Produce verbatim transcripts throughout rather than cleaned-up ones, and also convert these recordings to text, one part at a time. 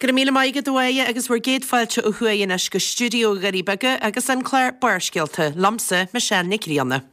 Go raibh míle maith agat a Mháire agus bhur gcéad fáilte ó thuaidh anois go stiúideo Dhoirí Beaga agus an clár Barrscéalta, liomsa, Michelle Nic Grianna.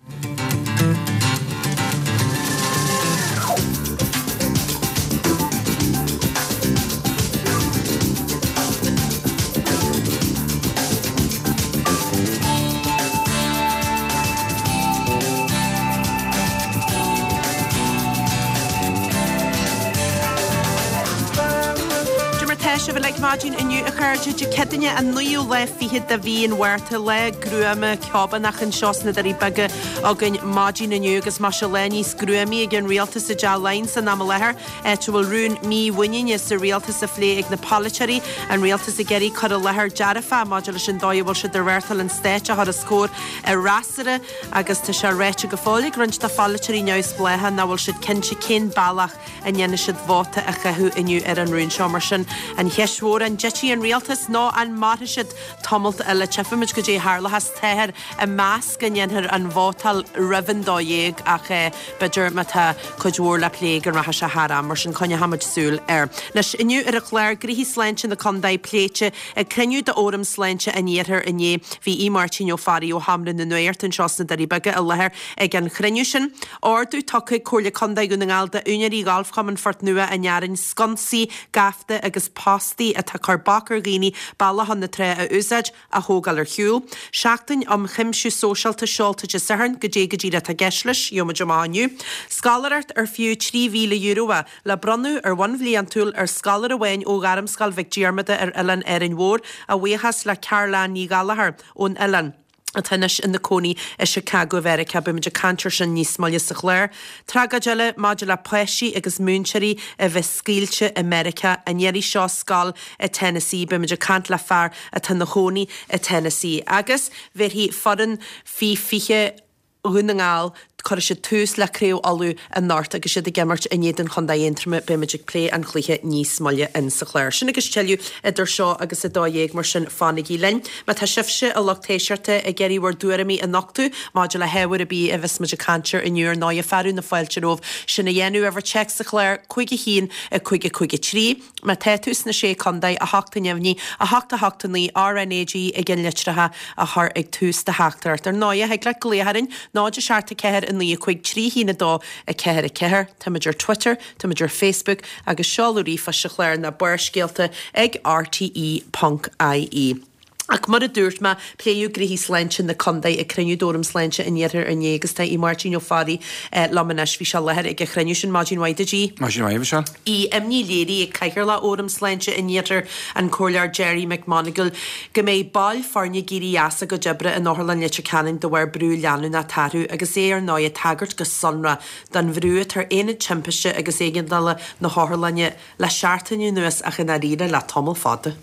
Cad é mar tá sibh uilig maidin inniu a chairde Dé Céadaoine an naoú lá fichead de mhí an Mhárta lá gruama ceobánach anseo sna Doirí Beaga againn maidin inniu agus más lá níos gruamaí ag an rialtas i dTeach Laighean san am i láthair áit a bhfuil rún mímhuiníne sa rialtas á phlé ag na polaiteoirí an rialtas ag iarraidh cur i láthair dearfach maidir leis an dóigh a bhfuil siad ag reáchtáil an stáit a chur os comhair an fhreasúra agus tá sé ráite go fóill ag roinnt de pholaiteoirí neamhspleácha nach bhfuil siad cinnte cén bealach a ndéanfaidh siad vóta a chaitheamh inniu ar an rún seo mar sin an cheist mhór an dtitfidh an rialtas nó an mairfidh siad tamalt eile tchífimid goidé a tharlóchas táthar ag meas go ndéanfar an vótáil roimh an dó dhéag ach eh, b'fhéidir má tá cuid mhór le plé go rachaidh sé thar am mar sin coinneoimid súil air. Anois inniu ar an chlár gnoithí sláinte na contae pléite ag cruinniú d'Fhóram Sláinte an Iarthair inné bhí Aodh Máirtín Ó Fearraigh ó Sheomra na Nuachta anseo sna Doirí Beaga i láthair ag an chruinniú sin. Ordú tugtha ag Comhairle Contae Dhún na nGall d'úinéirí Ghalfchumann Phort Nua an Fhearainn sconsaí, gaibhte agus postaí atá ag cur bac ar dhaoine bealach chun na trá a úsáid a thógáil ar shiúl. Seachtain um chuimsiú sóisialta seolta Dé Sathairn goidé go díreach atá i gceist leis, gheobhaimid amach inniu. Scoláireacht ar fiú trí mhíle euro é le bronnadh ar bhonn bliantúil ar scoláire amháin ó Ghairmscoil Mhic Diarmada ar Oileán Árainn Mhór a bhuíochas le Caroline Ní Ghallchóir ón oileán. atá anois ina cónaí i Chicago Mheiriceá beimid ag caint air sin níos moille sa chlár. Tragóid eile maidir le páistí agus múinteoirí a bheith scaoilte i Meiriceá an iarraidh seo scoil i Tennessee beimid ag caint le fear atá ina chónaí i Tennessee. Agus bhéarfaidh foireann faoi fiche Dhún na nGall cuirfidh siad tús le Craobh Uladh anocht agus iad ag imirt in éadan Chontae Aontroma beimid ag plé an chluiche níos moille in sa chlár. Sin agus tuilleadh idir seo agus a dó dhéag mar sin fanaigí linn. Má tá sibhse a lucht éisteachta ag iarraidh bhur dtuairimí a nochtadh maidir le hábhar ar bith a bheas muid ag caint air inniu ar ndóigh fearadh na fáilte romhaibh sin a dhéanamh uimhir téacs sa chlár cúig a haon a cúig a cúig a trí. Má tá tú sna sé chontae a hocht a neamhní a hocht a hocht a naoi RnaG i gceannlitreacha a chur ag tús do theachtaireacht. Ar ndóigh thig leat glaoch orainn náid a seacht a ceathair a naoi a cúig trí haon a dó a ceathair a ceathair, Táimid ar Twitter, Táimid ar Facebook agus seoladh ríomhphoist sa chlár ná Barrscéalta ag RTE ponc IE. Ach mar a dúirt mé pléadh gnoithí sláinte na contae ag cruinniú d'Fhóram Sláinte an Iarthair inné agus tá Aodh Máirtín Ó Fearraigh liom anois bhí sé i láthair ag an chruinniú sin maidin mhaith duit Aodh. Maidin mhaith Michelle. Bhí imní léirithe ag Cathaoirleach Fhóram Sláinte an Iarthair an Comhairleoir Gerry McMonagall go mbeidh baill foirne ag éirí as a gcuid oibre in Otharlann Leitir Ceanainn de bharr brú leanúnach atá orthu agus é ar ndóigh ag tagairt go sonrach don bhrú atá ar aonad timpiste agus éigeandála na hotharlainne le seachtain anuas ach i ndáiríre le tamall fada.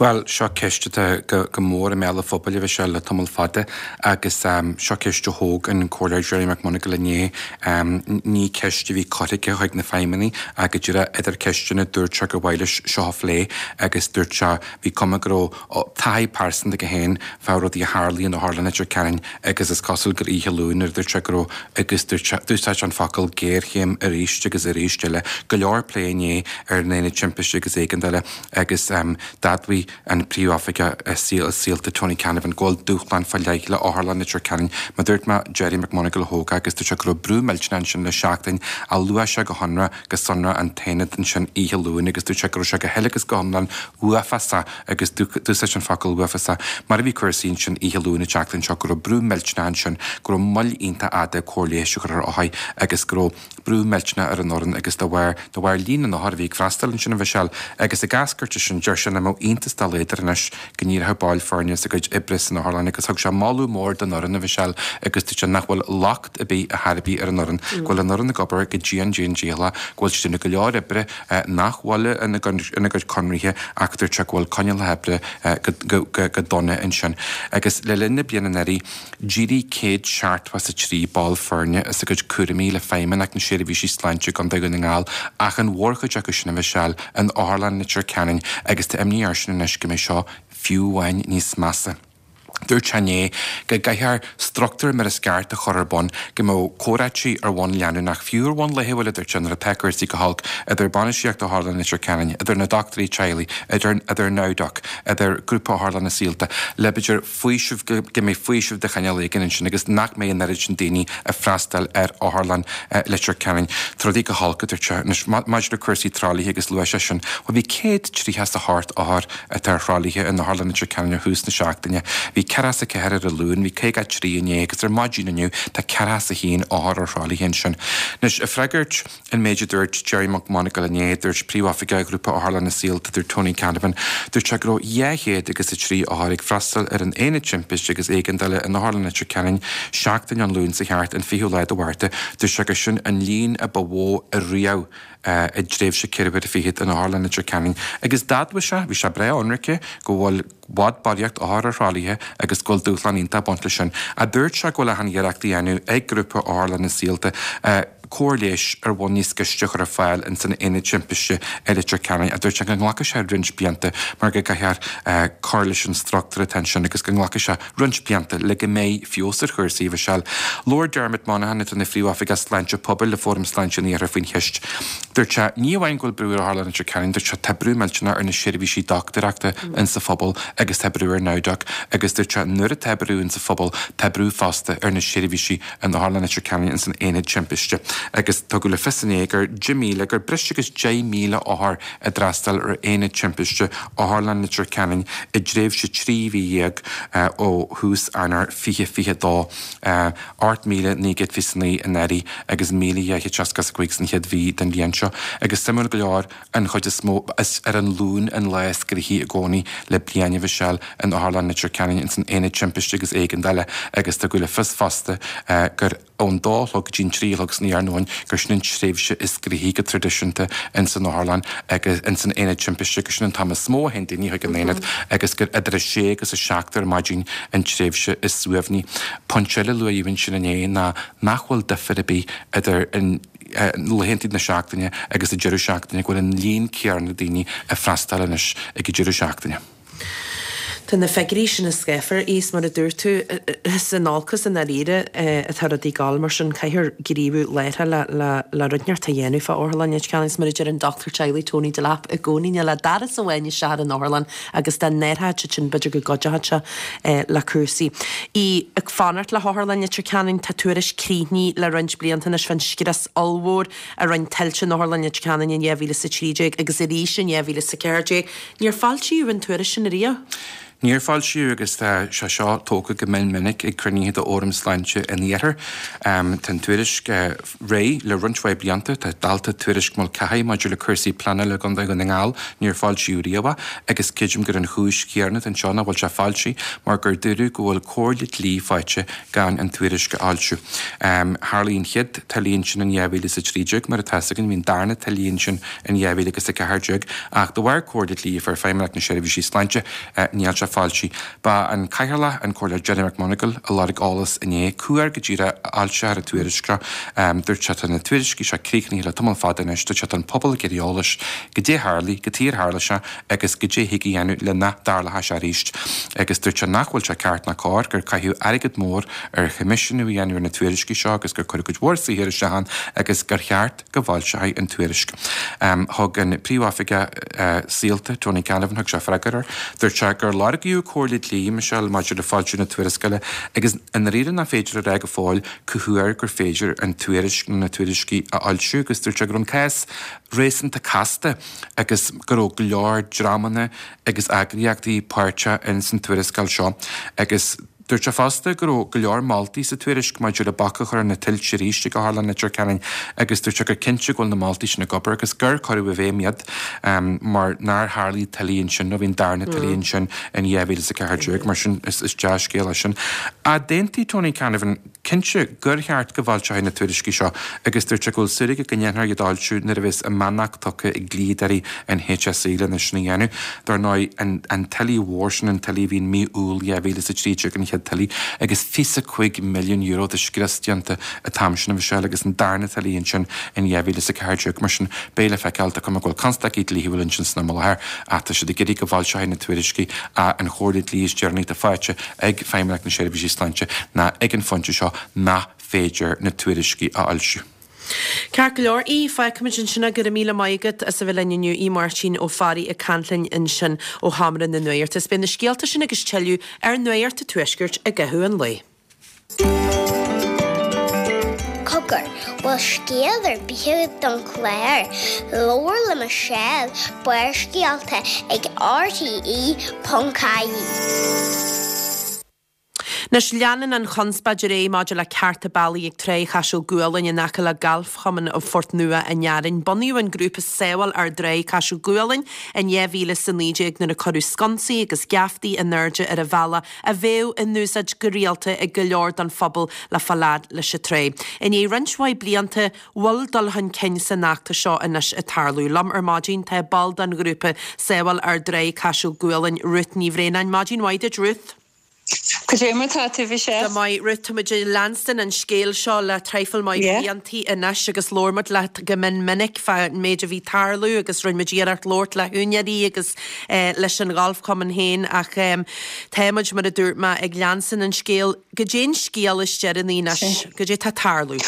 Bhuel, seo ceist atá go, go mór i mbéal an phobail a Mhichelle le tamall fada agus um, seo ceist a thóg an Comhairleoir Gerry McMonagall inné um, ní ceist a bhí curtha aige chuig na feidhmeannaigh ach go díreach idir ceisteanna dúirt sé gur mhaith leis seo a phlé agus dúirt sé bhí cuma go raibh taithí pearsanta aige féin fá rudaí a tharlaíonn in Otharlann Leitir Ceanainn agus is cosúil gur oíche Luain nuair a dúirt sé go raibh agus dúirt sé d'úsáid sé an focal géarchéim arís agus arís eile go leor plé inné ar an aonad timpiste agus éigeandála agus um, d'admhaigh an príomhoifigeach saol saolta Tony Canavan go bhfuil dúshlán fá leith le Otharlann Leitir Ceanainn mar dúirt mé Gerry McMonagall a thóg agus dúirt sé go raibh brú millteanach ansin le seachtain a luaigh sé go hionra go sonrach an t-aonad ansin oíche Luain agus dúirt sé go raibh sé go huile agus go hiomlán uafásach agus d'úsáid an focal uafásach mar a bhí cúrsaí ansin oíche Luain an tseachtain seo go raibh brú millteanach ansin go raibh moill iontach fhada cóir leighis a chur ar othair agus go raibh brú millteanach ar an fhoireann agus de bharr de bharr líon na n-othar a bhí ag freastal ansin a Mhichelle agus ag eascairt sin deir sé nach mbeadh iontas dá laghad air anois go n-éireodh baill foirne as a gcuid oibre san otharlann agus thug sé moladh mór don fhoireann a Mhichelle agus dúirt sé nach bhfuil locht ar bith ar chor ar bith ar an fhoireann go bhfuil an fhoireann ag obair go dian dian dícheallach go bhfuil siad ag déanamh go leor oibre nach bhfuil ina gcuid conraithe ach dúirt sé go bhfuil coinníollacha oibre go go go dona ansin agus le linn na bliana anuraidh d'éirigh céad seachtó is a trí ball foirne as a gcuid cúraimí le Feidhmeannacht na Seirbhísí Sláinte i gContae Dhún na nGall ach an mhórchuid acu sin a Mhichelle in Otharlann Leitir Ceanainn agus tá imní airsean anois go mbeidh seo fiú amháin níos measa. Dúirt sé inné go gcaithfear struchtúr mar is ceart a chur ar bun, go mbeadh comhráití ar bhonn leanúnach, fiú ar bhonn laethúil, a dúirt sé, nuair atá cúrsaí go holc, idir bainistíocht Otharlann Leitir Ceanainn, idir na dochtúirí teaghlaigh, idir idir NowDoc, idir Grúpa Otharlanna Saolta, le b'fhéidir faoiseamh, go mbeidh faoiseamh de chineál éigin ansin agus nach mbeidh an oiread sin daoine ag freastal ar Otharlann Leitir Ceanainn. Tá rudaí go holc, a dúirt sé. Anois, maidir le cúrsaí tralaithe agus luaigh sé sin, bhuel bhí céad tríocha is a hocht othar atá ar thralaithe in Otharlann Leitir Ceanainn ó thús na seachtaine. Bhí ceathracha is a ceathair ar an Luan, bhí caoga a trí inné agus ar maidin inniu tá ceathracha is a haon othar ar thralaithe ansin. Anois, ag freagairt an méid a dúirt Gerry McMonagle inné, dúirt Príomhoifigeach Ghrúpa Otharlanna Saolta, dúirt Tony Canavan, dúirt sé go raibh dhá chéad agus a trí othar ag freastal ar an Aonad Timpiste agus Éigeandála in Otharlann Leitir Ceanainn seachtain ón Luan seo thart, an fichiú lá de Mhárta. Dúirt sé gur sin an líon a ba mhó ariamh i dtréimhse ceithre huaire fichead in Otharlann Leitir Ceanainn agus d'admhaigh sé, bhí sé breá ionraice, go bhfuil bhfad barraíocht othar ar thralaithe agus go bhfuil dúshlán iontach ag baint leis sin. Ach dúirt sé go bhfuil achan iarracht á dhéanamh ag Grúpa Otharlanna Saolta cóir leighis ar bhonn níos gaiste a chur ar fáil ins an Aonad Timpiste i Leitir Ceanainn. Ach dúirt sé go nglacfaidh sé roinnt blianta mar go gcaithfear cur leis an struchtúr atá ansin agus go nglacfaidh sé roinnt blianta le go mbeidh feabhas ar chúrsaí, a Mhichelle. Labhair Dermot Monaghan, atá ina Phríomhoifigeach Sláinte Pobail le Fóram Sláinte an Iarthair faoin cheist. Dúirt sé, ní amháin go bhfuil brú ar Otharlann Leitir Ceanainn, dúirt sé, tá brú millteanach ar na seirbhísí dochtúireachta insa phobal agus tá brú ar NowDoc agus dúirt sé, nuair atá brú insa phobal, tá brú fosta ar na seirbhísí in Otharlann Leitir Ceanainn ins an Aonad Timpiste. Agus tugadh le fios inné gur deich míle, gur breis agus deich míle othar a d'fhreastail ar Aonad Timpiste Otharlann Leitir Ceanainn i dtréimhse trí mhí dhéag ó thús Eanáir fiche fiche dó, ocht míle naoi gcéad fiche naoi anuraidh agus míle dhá chéad seasca is a cúig san chéad mhí den bhliain seo. Agus suimiúil go leor, an chuid is mó, is ar an Luan an lá is gnoithí i gcónaí le bliain a Mhichelle in Otharlann Leitir Ceanainn ins an Aonad Timpiste agus Éigeandála agus tugadh le fios fosta gur ón dó a chlog go dtí an trí a chlog san iarnóin gur sin an tréimhse is gnoithí go traidisiúnta ins an otharlann agus ins an aonad timpiste, gur sin an t-am is mó a théann daoine chuig an aonad agus gur idir a sé agus a seacht ar maidin an tréimhse is suaimhní. Pointe eile a luadh ansin inné ná nach bhfuil difear ar bith idir an laethanta na seachtaine agus an deireadh seachtaine, go bhfuil an líon céanna daoine ag freastal anois ag an deireadh seachtaine. Tá na figiúirí sin scáfar, is mar a dúirt tú, is in olcas i ndáiríre atá rudaí ag gabháil, mar sin caithfear gníomhú láithreach le le le rud inteacht a dhéanamh fá Otharlann Leitir Ceanainn. Is mar a deir an dochtúir teaghlaigh Tony Delap i gcónaí, níl ach doras amháin isteach ar an otharlann agus dá n-athródh siad sin b'fhéidir go gcuideodh sé le cúrsaí. Í ag fanacht le hOtharlann Leitir Ceanainn, tá tuairisc críochnaithe le roinnt blianta anois fán scrios ollmhór a rinne tuilte in Otharlann Leitir Ceanainn in dhá mhíle is a trí déag agus arís in dhá mhíle is a ceathair déag. Níor foilsíodh an tuairisc sin ariamh. Níor foilsíodh agus tá sé seo tógtha go mion minic ag cruinnithe d'Fhóram Sláinte an Iarthair. Tá an tuairisc réidh le roinnt mhaith blianta. Tá dalta tuairisc Mulcahy maidir le cúrsaí pleanála i gContae Dhún na nGall, níor foilsíodh riamh é agus creidim gur an chúis chéanna atá anseo nach bhfuil sé foilsithe mar gur dúradh go bhfuil comhairle dlí faighte gan an tuairisc a fhoilsiú. Tharlaigh an chéad tuile ansin in dhá mhíle is a trí déag, mar atá 'fhios againn, bhí an darna tuile ansin in dhá mhíle agus a ceathair déag ach de bharr comhairle dlí a fuair Feidhmeannacht na Seirbhísí Sláinte, níl sé foilsithe. Ba an Cathaoirleach, an Comhairleoir Gerry McMonagall, a lorg eolas inné cá huair go díreach a fhoilseofar an tuairisc seo. Dúirt sé tá na tuairiscí seo críochnaithe le tamall fada anois. Dúirt sé tá an pobal ag iarraidh eolais goidé tharlaigh, cad chuige ar tharla sé agus goidé thig a dhéanamh le nach dtarlódh sé arís. Agus dúirt sé nach bhfuil sé ceart ná cóir gur caitheadh airgead mór ar choimisiúnú a dhéanamh ar na tuairiscí seo agus gur cuireadh cuid mhór saothair isteach ann agus gur cheart go bhfoilseofaí an tuairisc. Thug an Príomhoifigeach Saolta, Tony Canavan, thug sé freagra air. Dúirt sé gur lorgaíodh comhairle dlí, Michelle, maidir le foilsiú na tuarascála agus i ndáiríre nach féidir a rá go fóill cá huair gur féidir an tuairisc nó na tuairiscí a fhoilsiú agus dúirt sé go raibh an cás réasúnta casta agus go raibh go leor dreamanna agus eagraíochtaí páirteach ins an tuarascáil seo agus Dúirt sé fosta go raibh go leor moltaí sa tuairisc maidir le bac a chur ar na tuilte arís ag Otharlann Leitir Ceanainn agus dúirt sé gur cinnte go bhfuil na moltaí sin ag obair agus gur cuireadh i bhfeidhm iad mar nár tharlaigh tuile ansin nó bhí an darna tuile ansin in dhá mhíle is a ceathair déag. Mar sin is dea-scéal é sin. Ach d'aontaigh Tony Canavan cinnte gur cheart go bhfoilseofaí na tuairiscí seo agus dúirt sé go bhfuil súil aige go ndéanfar iad a fhoilsiú nuair a bheas a mbeannacht tugtha ag dlíodóirí an H S E lena sin a dhéanamh. Dar ndóigh, an tuile mhór sin, an tuile a bhí in mí Iúil dhá mhíle is a trí déag an chéad chéad tuile agus fiche a cúig milliún euro de scrios déanta an t-am sin a Mhichelle agus an darna tuile ansin in dhá mhíle is a ceathair déag. Mar sin beidh le feiceáil, tá cuma go bhfuil constaicí dlíthiúil ansin san am i láthair ach tá siad ag iarraidh go bhfoilseofaí na tuairiscí an chomhairle dlí is deireanaí atá faighte ag Feidhmeannacht na Seirbhísí Sláinte ná ag an phointe seo nach féidir na tuairiscí a fhoilsiú. Ceart go leor, Aodh, fágfaimid ansin é. Go raibh míle maith agat as a bheith linn inniu. Aodh Máirtín Ó Fearraigh ag caint linn ansin ó Sheomra na Nuachta. Is beidh na scéalta sin agus tuilleadh ar Nuacht an Tuaiscirt i gcaitheamh an lae. Cogar, bhfuil scéal ar bith agat don chlár? Labhair le Michelle, Barrscéalta ag rte ponc ie. Anois, leanann an chonspóid ar aghaidh maidir le cearta bealaigh ag Tráigh Chaiseal Gualainn in aice le Galfchumann Phort Nua an Fhearainn. Bunaíodh an grúpa Sábháil Ár dTráigh Caiseal Gualainn in dhá mhíle is a naoi déag nuair a cuireadh sconsaí agus geaftaí in airde ar an bhealach a bheadh in úsáid go rialta ag go leor den phobal le fáil fhad leis an tráigh. I ndiaidh roinnt mhaith blianta, bhfuil dul chun cinn san fheachtas seo anois ag tarlú. Liom ar maidin tá ball den ghrúpa Sábháil Ár dTráigh Caiseal Gualainn, Ruth Ní Bhraonáin. Maidin mhaith duit, Ruth. Cad é mar tá tú, Michelle? Go maith, Ruth, tá muid ag leanstan an scéil seo le traidhfil maith Yeah. bliantaí anois agus labhair muid leat go mion minic fán méid a bhí tarlú agus rinne muid iarracht labhairt le húinéirí agus eh, leis an ghalfchumann féin ach em, tá muid mar a dúirt mé ag leanstan an scéil. Goidé an scéal is deireanaí anois, goidé tá tarlú.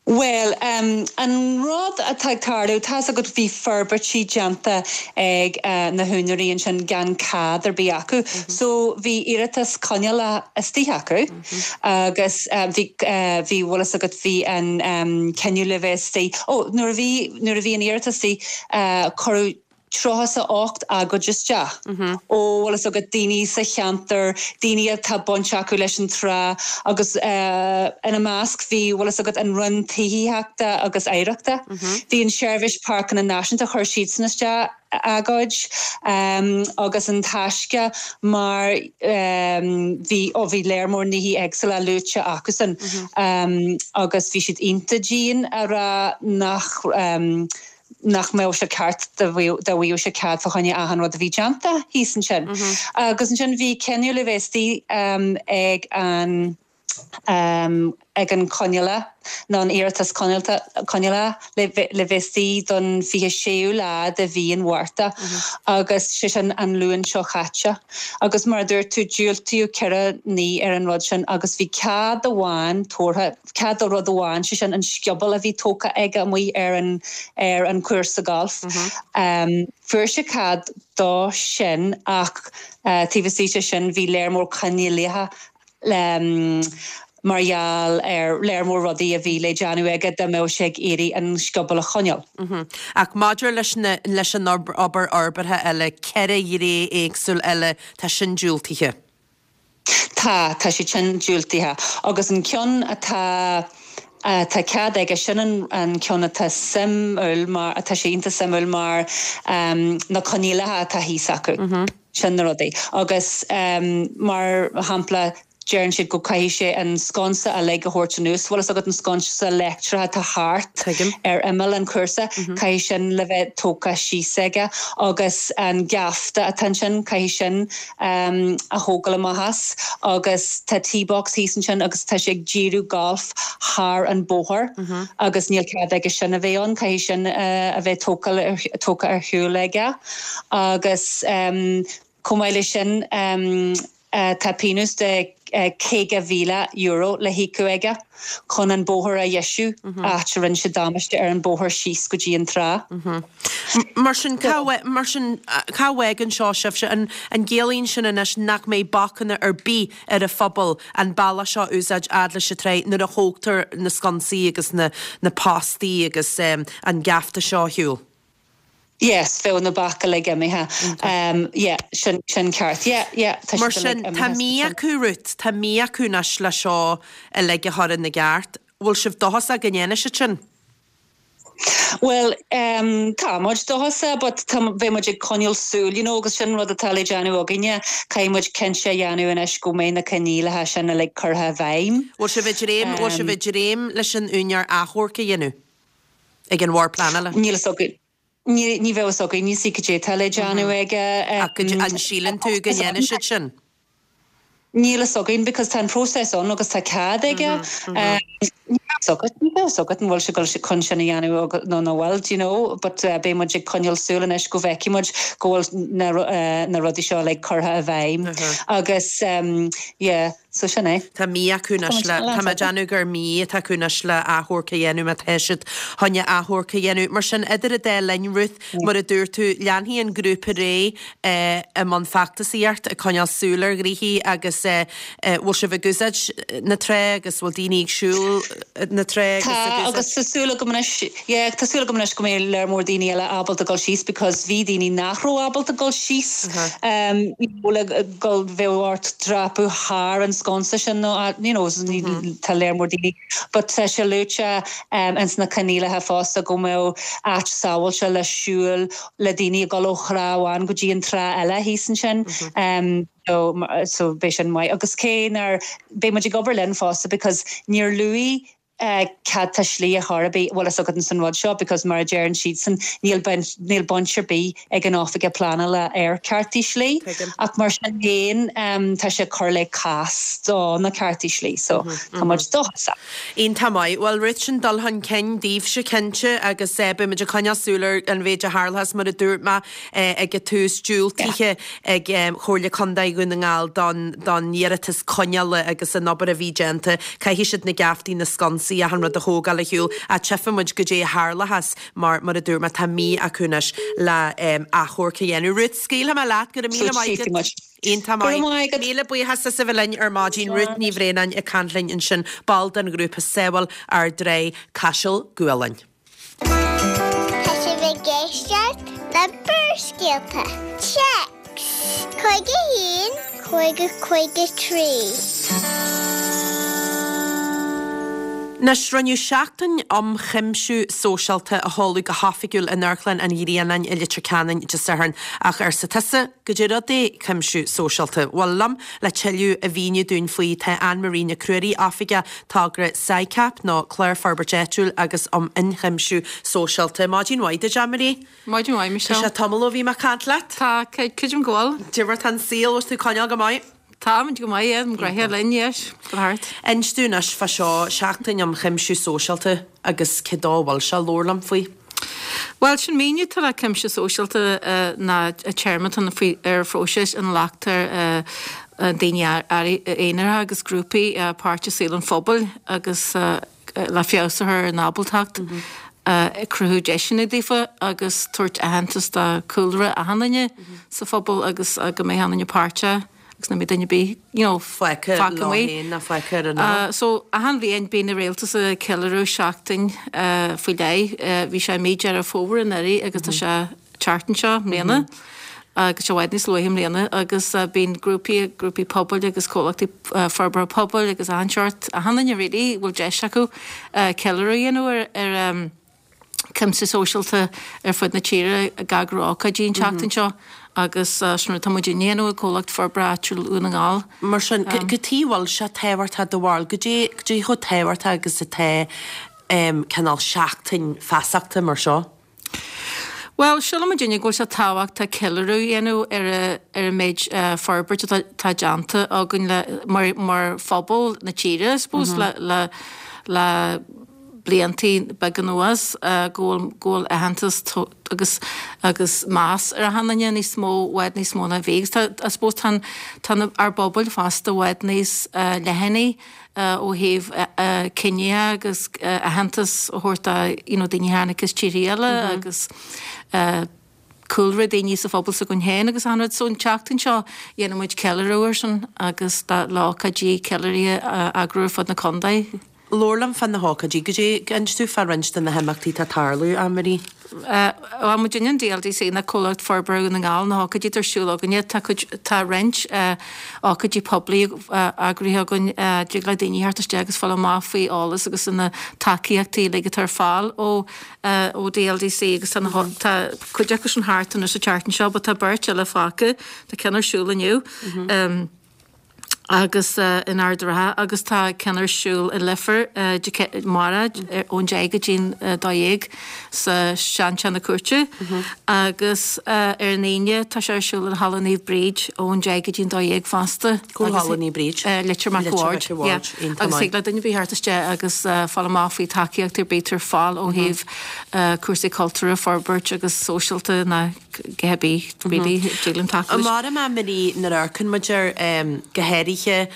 Bhuel, um, an rud atá ag tarlú, tá's agat bhí forbairtí déanta ag uh, na húinéirí ansin gan cead ar bith acu. Mm -hmm. So bhí iarratas coinneála istigh acu mm -hmm. agus uh, bhí uh, bhí bhfuil fhios agat bhí an um, cinneadh le bheith istigh. Ó, nuair a bhí nuair a bhí an iarratas istigh uh, cuireadh tríocha is a ocht agóid isteach. Ó bhfuil fhios agat daoine sa cheantar, daoine atá baint acu leis an trá agus uh, ina measc bhí bhfuil fhios agat an Roinn Tithíochta agus Oidhreachta. Bhí an Seirbhís Páirceanna Náisiúnta chuir siadsan isteach agóid um, agus an Taisce mar um, bhí ó bhí léar mór nithe éagsúla luaite acusan um, agus bhí siad iontach dian a rá nach um, nach mbeadh sé ceart dá bhfaigheadh sé cead fá choinne achan rud a bhí déanta thíos ansin. Agus ansin bhí cinneadh le bheith istigh um, ag an um, ag an coinneála nó an iarratas coinneála le le bheith istigh don fiche séú lá de mhí an Mhárta agus sé sin an Luan seo caite. Agus mar a dúirt tú diúltaíodh ceithre ní ar an rud sin agus bhí cead amháin tabhartha cead do rud amháin sé sin an scioból a bhí tógtha aige amuigh ar an ar an chúrsa golf. Um, fuair sé cead dó sin ach uh, taobh istigh de sin bhí léar mór coinníollacha um, mar gheall ar léar mór rudaí a bhí le déanamh aige dá mbeadh sé ag iarraidh an scioból a choinneáil. Ach maidir leis na leis an obair fhorbartha eile ceithre ghné éagsúil eile tá sin diúltaithe. Tá tá sé sin diúltaithe agus an ceann atá tá cead aige sin an, an ceann atá suimiúil mar atá sé iontach suimiúil mar um, na coinníollacha atá thíos acu. Mm -hmm. Sin na rudaí. Agus um, mar shampla deireann siad go caithfidh sé an sconsa uilig a thabhairt anuas, bhfuil fhios agat an sconsa leictreach atá thart ar imeall an chúrsa, caithfidh sin le bheith tógtha síos aige agus an geafta atá ansin caithfidh sin um, a thógáil amach as agus tá tee box thíos ansin agus tá sé ag díriú golf thar an bóthar agus níl cead aige sin a bheith ann, caithfidh sin uh, a bheith tógtha ar shiúl aige agus um, chomh maith leis sin um, uh, tá pionós de uh, caoga mhíle euro le híoc aige chun an bóthar a dheisiú áit a rinne sé damáiste ar an bóthar síos go dtí an trá. Mar sin mar sin cá bhfágann seo sibhse an an gciallaíonn sin anois nach mbeidh bacanna ar bith ar an phobal an bealach seo úsáid fhad leis an trá nuair a thógtar na sconsaí agus na, na postaí agus um, an geafta seo ar shiúl. Yes, bheadh na bac uilig imithe. Um, yeah, sin, sin ceart. Yeah, yeah, tá Mar sin tá mí acu Ruth, tá mí acu anois le seo uilig a chur ina gceart. Bhfuil sibh dóchasach go ndéanfaidh siad sin? Well, um, tá muid dóchasach, but tá bheidh muid ag coinneáil súil, you know, agus sin rud atá le déanamh againne, caithfidh muid cinnte a dhéanamh anois go mbeidh na coinníollacha sin uilig curtha i bhfeidhm. Bhfuil sibh ag dréim, bhfuil sibh ag dréim leis an úinéir achomharc a dhéanamh ag an Bhord Pleanála? Níl fhios againn. Ní ní bheidh fhios againn ní sí cad é atá le déanamh aige. Ach an síleann tú go ndéanfaidh siad sin? Níl a fhios againn because tá an process ann agus tá cead aige. Níl a fhios agat, níl a fhios agat an bhfuil sé goil chun sin a dhéanamh nó nach bhfuil, do you know, but uh, beidh muid ag coinneáil súil anois go bhfeicfidh muid go bhfuil na, uh, na rudaí seo like, curtha i bhfeidhm. Agus um, yeah, so sin é. Tá mí acu anois le tá mé ag déanamh gur mí atá acu anois le achomharc a dhéanamh má tá siad chun achomharc a dhéanamh. Mar sin idir an dá linn Ruth mar a dúirt tú leanfaidh an grúpa ar aghaidh i mbun feachtasaíocht ag coinneáil súil ar ghnoithí agus bhfuil sibh ag úsáid na trá agus bhfuil daoine ag siúl na trá agus ag úsáid. Agus tá súil agam anois yeah, tá súil agam anois go mbeidh léar mór daoine eile ábalta dul síos because bhí daoine nach raibh ábalta dul síos um, le go bheadh ort dreapadh thar an sconsa sin nó you know, tá léar mór daoine. But tá sé luaite um, ins na coinníollacha fosta go mbeadh áit sábháilte le siúl le daoine ag dul ó thrá amháin go dtí an trá eile thíos ansin. Um, so, so beidh sin maith. Agus cé nár beidh muid ag obair linn fosta because níor luadh uh, cearta slí a chor ar bith bhfuil a fhios agat san rud seo because mar a deireann siadsan níl níl baint ar bith ag an oifig pleanála ar ceartaí slí ach mar sin féin um, tá sé cur le cás do na ceartaí slí so mm -hmm, tá muid dóchasach. Iontach maith, Well Ruth sin dul chun cinn daoibhse cinnte agus eh, beidh muid ag coinneáil súil ar an mhéid a tharlós mar a dúirt mé eh, ag an tús diúltaithe ag um, Chomhairle Contae Dhún na nGall don don iarratas coinneála agus an obair a bhí déanta caithfidh siad na geaftaí na sconsaí achan rud a thógáil ar shiúl a tchífidh muid goidé a tharlós mar mar a dúirt mé tá mí acu anois le um, achomharc a dhéanamh. Ruth scaoilfidh mé leat go raibh míle maith agat. Iontach maith. Míle buíochas as a bheith linn ar maidin Ruth Ní Bhraonáin ag caint linn ansin ball den ghrúpa Sábháil ár dTrá Caiseal Gualainn. Tá sibh ag éisteacht le Barrscéalta. Téacs Cúig a haon, cúig a cúig a trí. Anois rinneadh seachtain um chuimsiú sóisialta a sheoladh go hoifigiúil in Amharclann an Ghrianáin i Leitir Ceanainn Dé Sathairn ach arsa tusa goidé rud é cuimsiú sóisialta. Bhuel liom le tuilleadh a mhíniú dúinn faoi tá Anne-Marie Nic Ruairí Oifigeach Togra SICAP nó Clár Forbairt Áitiúil agus um Ionchuimsiú Sóisialta. Maidin mhaith duit Anne-Marie? Maidin mhaith Tá Michelle. sé tamall ó bhí mé ag caint leat? Tá creidim go bhfuil. Goidé mar tá an saol bhfuil tú ag coinneáil go maith? Tá go maith an graithe linn yes, go thart. Inis dúinn anois fá seo seachtain um chuimsiú sóisialta agus cé dó bhfuil sé labhair liom faoi. Well sin míniú tá le cuimsiú sóisialta uh, ná a téarma faoi ar phróiseas ina nglactar uh, daoine aonair agus grúpaí uh, páirt i saol an phobail agus uh, le feabhas a chur ar a n-ábaltacht. Mm -hmm. Uh, cruthú deiseanna daofa agus tabhairt aitheantas do chúlra achan duine mm -hmm. sa phobal agus uh, go mbeidh achan duine páirteach agus nach mbeidh duine ar bith you know, Fágtha fágtha amuigh. na fágtha an Uh, so achan bhliain bíonn an rialtas ag ceiliúradh seachtain uh, faoi leith uh, bhí sé mí Deireadh Fómhair anuraidh agus tá sé tseachtain seo i mbliana. agus sé bhfad níos luaithe i mbliana agus uh, bíonn grúpaí grúpaí pobail agus comhlachtaí uh, forbartha pobail agus achan seort achan duine really bhfuil deis acu uh, ceiliúradh a dhéanamh ar ar um, cuimsiú sóisialta ar fud na tíre ag eagrú ócáidí an tseachtain seo agus uh, sin tá muid ag déanamh i Comhlacht Forbartha Áitiúil Dhún na nGall. Mar sin cad chuige bhfuil sé tábhachtach do bharúil, goidé goidé chomh tábhachtach agus atá um, cineál seachtain feasachta mar seo. Well, sílim duine go bhfuil sé tábhachtach ceiliúradh a dhéanamh ar ar an méid uh, forbairt atá déanta againn le mar, mar phobal na tíre, suppose, mm -hmm. le, le, le bliantaí beaga anuas uh, go bhfuil aitheantas agus agus meas ar achan duine níos mó i bhfad níos mó ná bhí. Tá I suppose tá tá ár bpobail fosta i bhfad níos uh, leithne uh, ó thaobh uh, uh, cine agus uh, aitheantas a thabhairt you know, daoine a tháinig as tíortha eile mm -hmm. agus uh, cúlra daoine sa phobal s'againn féin agus an rud so an tseachtain seo dhéanann muid ceiliúradh air sin agus le hócáidí ceiliúrtha eagrú fud na contae. Labhair liom fá na hócáidí goidé inis dom fá roinnt de na himeachtaí atá ag tarlú Anne-Marie. Uh, muid in DLDC na Comhlacht Forbartha Dhún na nGall na hócáidí ar siúl againne tá tá roinnt ócáidí poiblí eagraithe againn dtig le daoine theacht isteach agus fáil amach faoi eolas agus na tacaíochtaí le atá ar fáil ó ó DLDC agus tá cuid acu sin thart anois sa tseachtain seo, but tá beirt eile fágtha tá ceann ar siúl inniu. Mm -hmm. um, agus in Ard an Rátha agus tá ceann ar siúl i Leifear amárach ón deich go dtí'n dó dhéag sa seanteach na cúirte agus ar an Aoine tá sé ar siúl in Halla Naomh Bríd ón deich go dtí'n dó dhéag fosta. Cá bhfuil Halla Naomh Bríd? Leitir Mac a' Bhaird. Agus thig le duine ar bith theacht isteach agus fáil amach faoi tacaíocht ar bith ar fáil ó thaobh cúrsaí cultúrtha a forbairt agus sóisialta ná a dhath ar bith really dtig linn tacú leis. Mar a Marie nuair a amharcann muid air go háirithe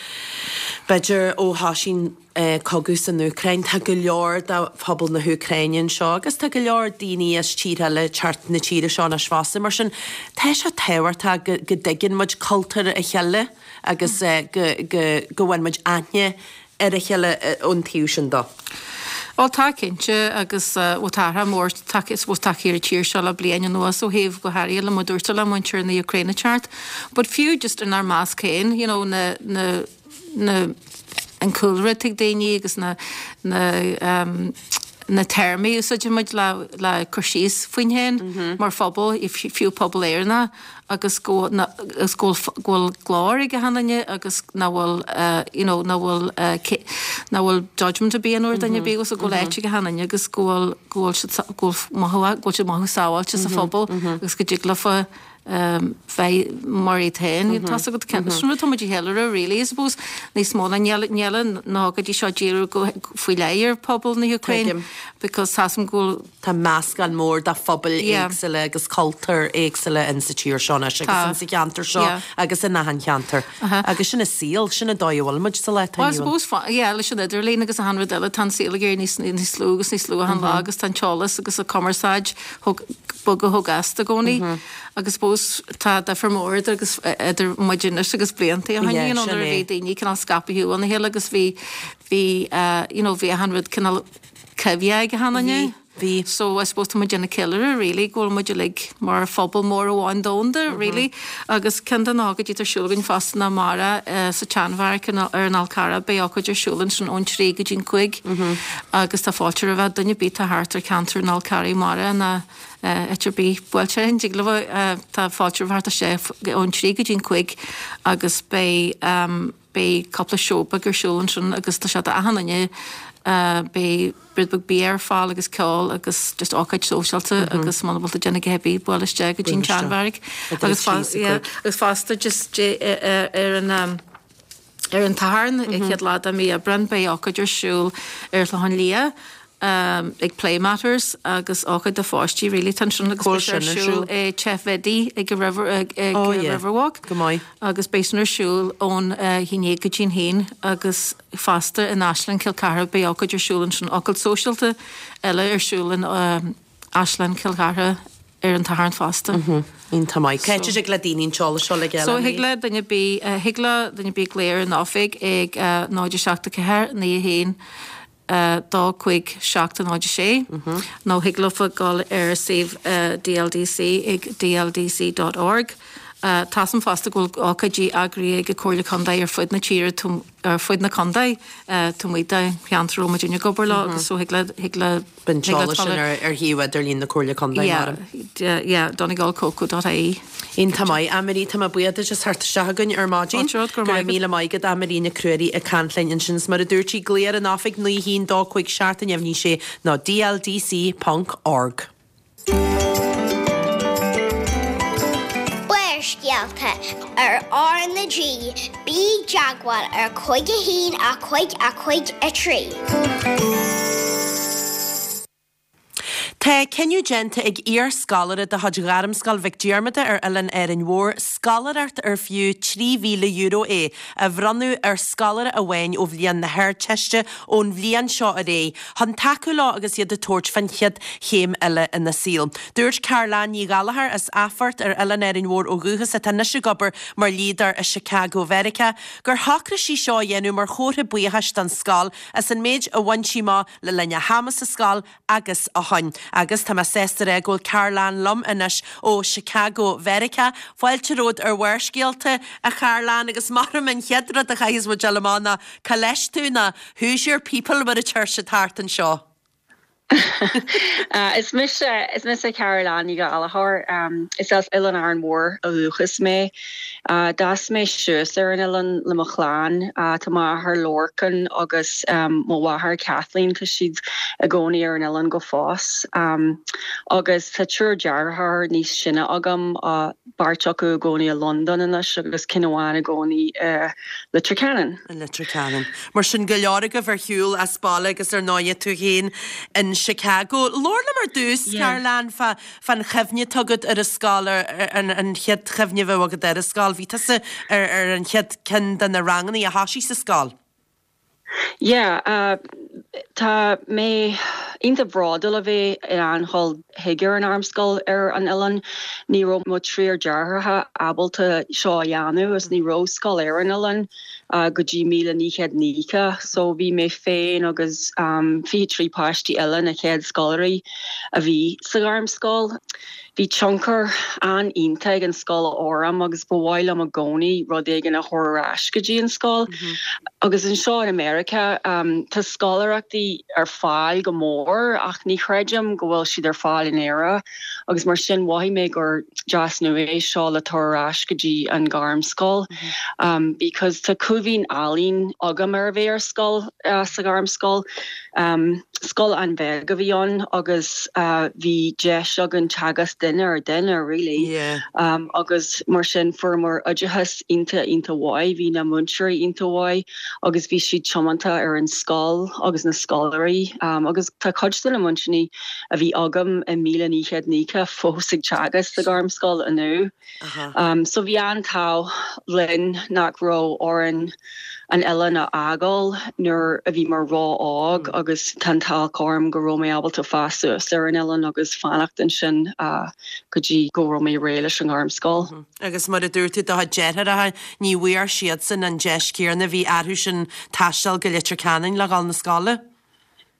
b'fhéidir ó thosaigh an cogadh san Úcráin, tá go leor de phobal na hÚcráine anseo agus tá go leor daoine as tíortha eile ag teacht na tíre seo anois fosta. Mar sin tá sé tábhachtach go go dtuigeann muid cultúr a chéile agus go go go bhfuil muid aithne ar a chéile ón taobh sin de. Bhuel tá cinnte agus bhuel tá athrú mór suppose tagtha ar an tír seo le bliain anuas ó thaobh go háirithe le mar dúirt tú le muintir na Úcráine teacht. But fiú just inár measc féin, you know, na na na an cúlra atá ag daoine agus na na um, na téarmaí a úsáideann muid le le cur síos faoin féin mar phobal, fiú pobal Éireannach agus go agus go bhfuil glór ag achan duine agus nach bhfuil you know nach bhfuil nach bhfuil judgment ar bith ar dhuine ar bith agus go bhfuil áit ag achan duine agus go bhfuil go bhfuil siad go bhfuil mothú go bhfuil siad mothú sábháilte sa phobal agus go dtig leofa bheith mar iad féin. Tá agat sin rud tá muid a cheiliúradh really, I suppose níos mó ná níl na hócáidí seo díriú go faoi leith ar pobal na hÚcráine because tá go bhfuil Tá meascán mór de phobail éagsúla agus cultúir éagsúla in sa tír seo anois agus in sa cheantar seo agus in achan cheantar. Agus sin an saol, sin an dóigh a bhfuil muid sa lá atá inniu ann. Well, I suppose, yeah, leis an idirlíon agus achan rud eile tá an saol ag éirí níos níos lú agus níos lú achan lá agus tá an t-eolas agus an cumarsáid bogadh chomh gasta i gcónaí. Agus suppose tá difear mór idir agus idir muid anois agus blianta ó shin, you know, nuair a bhí daoine cineál scaipthe óna chéile agus bhí bhí you know, bhí achan rud cineál coimhthíoch ag achan duine. Bhí. So I suppose tá muid ag ceiliúradh really go bhfuil muid uilig mar phobal mór amháin domhanda really agus ceann de na hócáidí atá ar siúl againn fosta ná amárach sa tSeanbheairic ar an Fhál Carrach beidh ócáid ar siúl ansin ón trí go dtí'n cúig agus tá fáilte roimh duine ar bith atá thart ar cheantar an Fhál Carraigh amárach ná áit ar bith buailte an dtig leo tá fáilte roimh thart isteach ón trí go dtí'n cúig agus beidh beidh cúpla seó beag ar siúl ansin agus tá sé d'achan duine beidh rud beag bia ar fáil agus ceol agus just ócáid sóisialta agus muna bhfuil tú ag déanamh a dhath ar bith buail isteach go dtí'n tSeanbheairic agus agus fosta just ar an ar an tSatharn an chéad lá de mí Aibreán beidh ócáid ar siúl ar Chlochán Liath ag Play Matters agus ócáid do pháistí really tá sin agus beidh sé ar siúl i Teach Bhiddy ag an River ag Riverwalk. Go maith. Agus beidh sin ar siúl ón haon déag go dtí'n haon agus fosta in Áislann Chill Chartha beidh ócáid ar siúl ansin ócáid sóisialta eile ar siúl in Áislann Chill Chartha ar an tSatharn fosta. Iontach maith. Cá háit a dtig le daoine an t-eolas seo le So thig le duine ar bith thig le duine ar bith glaoch ar an oifig ag náid a seacht a ceathair naoi a haon dó cúig seacht náid a sé nó thig leofa dul ar suíomh DLDC ag dldc dot org. Tá 'fhios a'm fosta go bhfuil ócáidí eagraithe ag an Comhairle Contae ar fud na tíre ar fud na contae taobh amuigh de cheantar a bhfuil muidinne ag obair leo agus so thig le thig le Bíonn an t-eolas sin ar ar shuíomh idirlín na Comhairle Contae mar. Yeah, yeah, donegalcoco dot ie. Iontach maith. Anne-Marie, tá mé buíoch duit as theacht isteach chugainn ar maidin. Fáilte romhat, go raibh Go raibh maith agat. míle maith agat, Anne-Marie Nic Ruairí ag caint linn ansin. Is mar a dúirt sí, glaoigh ar an oifig naoi haon dó cúig seacht neamhní sé nó dldc ponc org. Barrscéalta ar R na G, bí i dteagmháil ar cúig a haon a cúig a cúig a trí. Tá cinneadh déanta ag iar-scoláire de chuid Ghairmscoil Mhic Diarmada ar Oileán Árainn Mhór scoláireacht ar fiú trí mhíle euro é a bhronnadh ar scoláire amháin ó bhliain na hArdteiste ón bhliain seo ar aghaidh chun tacú leo agus iad ag tabhairt fán chéad chéim eile ina saol. Dúirt Carolann Ní Ghallchóir as Athphort ar Oileán Árainn Mhór ó dhúchas atá anois ag obair mar dhlíodóir i Chicago Mheiriceá gur shocraigh sí seo a dhéanamh mar chomhartha buíochais don scoil as an méid a bhain sí amach le linn a hama sa scoil agus ó shin. Agus tá mé sásta a rá go bhfuil Carolann liom anois ó Chicago Mheiriceá. Fáilte romhat ar Bharrscéalta, a Charolann, agus maram an chéad rud a chaithfidh muid dul amach ná cá leis tú ná who's your people mar a deir siad thart anseo. Is mise is mise Carol Ní Ghallchóir um, is as Oileán Árainn Mhór ó dhúchas mé. Uh, D'fhás mé suas ar an oileán le mo chlann uh, tá m'athair Lorcan agus um, mo mháthair Kathleen tá siad i gcónaí ar an oileán go fóill. Um, agus tá triúr deartháir níos sine agam uh, beirt acu i gcónaí i London anois agus ceann amháin i gcónaí uh, Leitir Ceanainn. An Leitir Ceanainn. Mar sin go leor agaibh ar shiúl as baile agus ar ndóigh tú féin in Chicago. Labhair liom ar dtús Yeah. Carolann fa fan chuimhne atá agat ar an scoil ar an an chéad chuimhne a bhí agat ar an scoil, bhí tusa ar ar an chéad ceann de na ranganna a thosaigh sa scoil. Yeah, uh, tá mé iontach bródúil a bheith in ann dul chuig an ngairmscoil ar an oileán ní raibh mo thriúr deartháireacha ábalta seo a dhéanamh is ní raibh scoil ar an oileán uh, go dtí míle naoi gcéad nócha, so bhí mé féin agus um, fiche trí páistí eile na chéad scoláirí a bhí sa ghairmscoil. Bhí tionchar an-iontach ag an scoil orm agus ba mhaith liom i gcónaí rud éigin a chur ar ais go dtí an scoil. Mm -hmm. Agus anseo in America um, tá scoláireachtaí ar fáil go mór ach ní chreidim go bhfuil siad ar fáil in Éire agus mar sin mhothaigh mé gur deas nua é seo le tabhairt ar ais go dtí an ghairmscoil. Mm -hmm. um, because tá cuimhní álainn agam ar bheith ar scoil uh, sa ghairmscoil. Um, scoil an-bheag a bhí ann agus uh, bhí deis againn teagasc duine ar duine really. Yeah. Um, agus mar sin fuaireamar oideachas iontach iontach mhaith, bhí na múinteoirí iontach mhaith agus bhí siad tiomanta ar an scoil agus na scoláirí um, agus tá cuid de na múinteoirí a bhí agam i míle naoi gcéad nócha fós ag teagasc sa ghairmscoil inniu. Um, so bhí an t-ádh linn nach raibh orainn an oileán a fhágáil nuair a bhí mé ró-óg mm. agus tá an t-ádh orm go raibh mé ábalta fás suas ar an oileán agus fanacht ansin uh, go dtí go raibh mé réidh leis an ngairmscoil. Mm -hmm. Agus mar a dúirt tú do dheartháireacha ní bhfuair siadsan an deis chéanna bhí orthu sin taisteal go Leitir Ceanainn le dhul na scoile?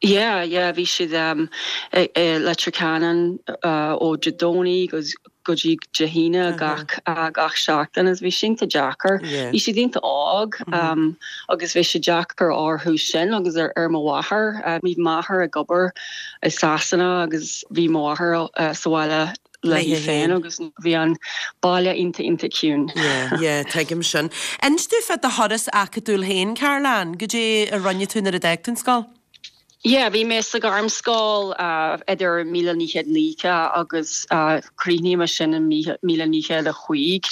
Yeah, yeah, bhí siad um, e, e, Leitir Ceanainn uh, ó Dé Domhnaigh agus go dtí Dé hAoine gach uh, gach seachtain is bhí sin deacair. Bhí siad iontach óg mm -hmm. um, agus bhí sé deacair orthu sin agus ar ar mo mháthair, uh, bhí m'athair ag obair i Sasana agus bhí m'mháthair uh, sa bhaile léi féin agus bhí an baile iontach iontach ciúin. Yeah, tuigim sin. Inis domh fá do thuras acadúil féin Carolann, goidé a rinne tú nuair a d'fhág tú an scoil? Yeah, bhí mé sa ghairmscoil uh, idir míle naoi gcéad nócha agus uh, chríochnaigh mé sin in míle naoi gcéad a cúig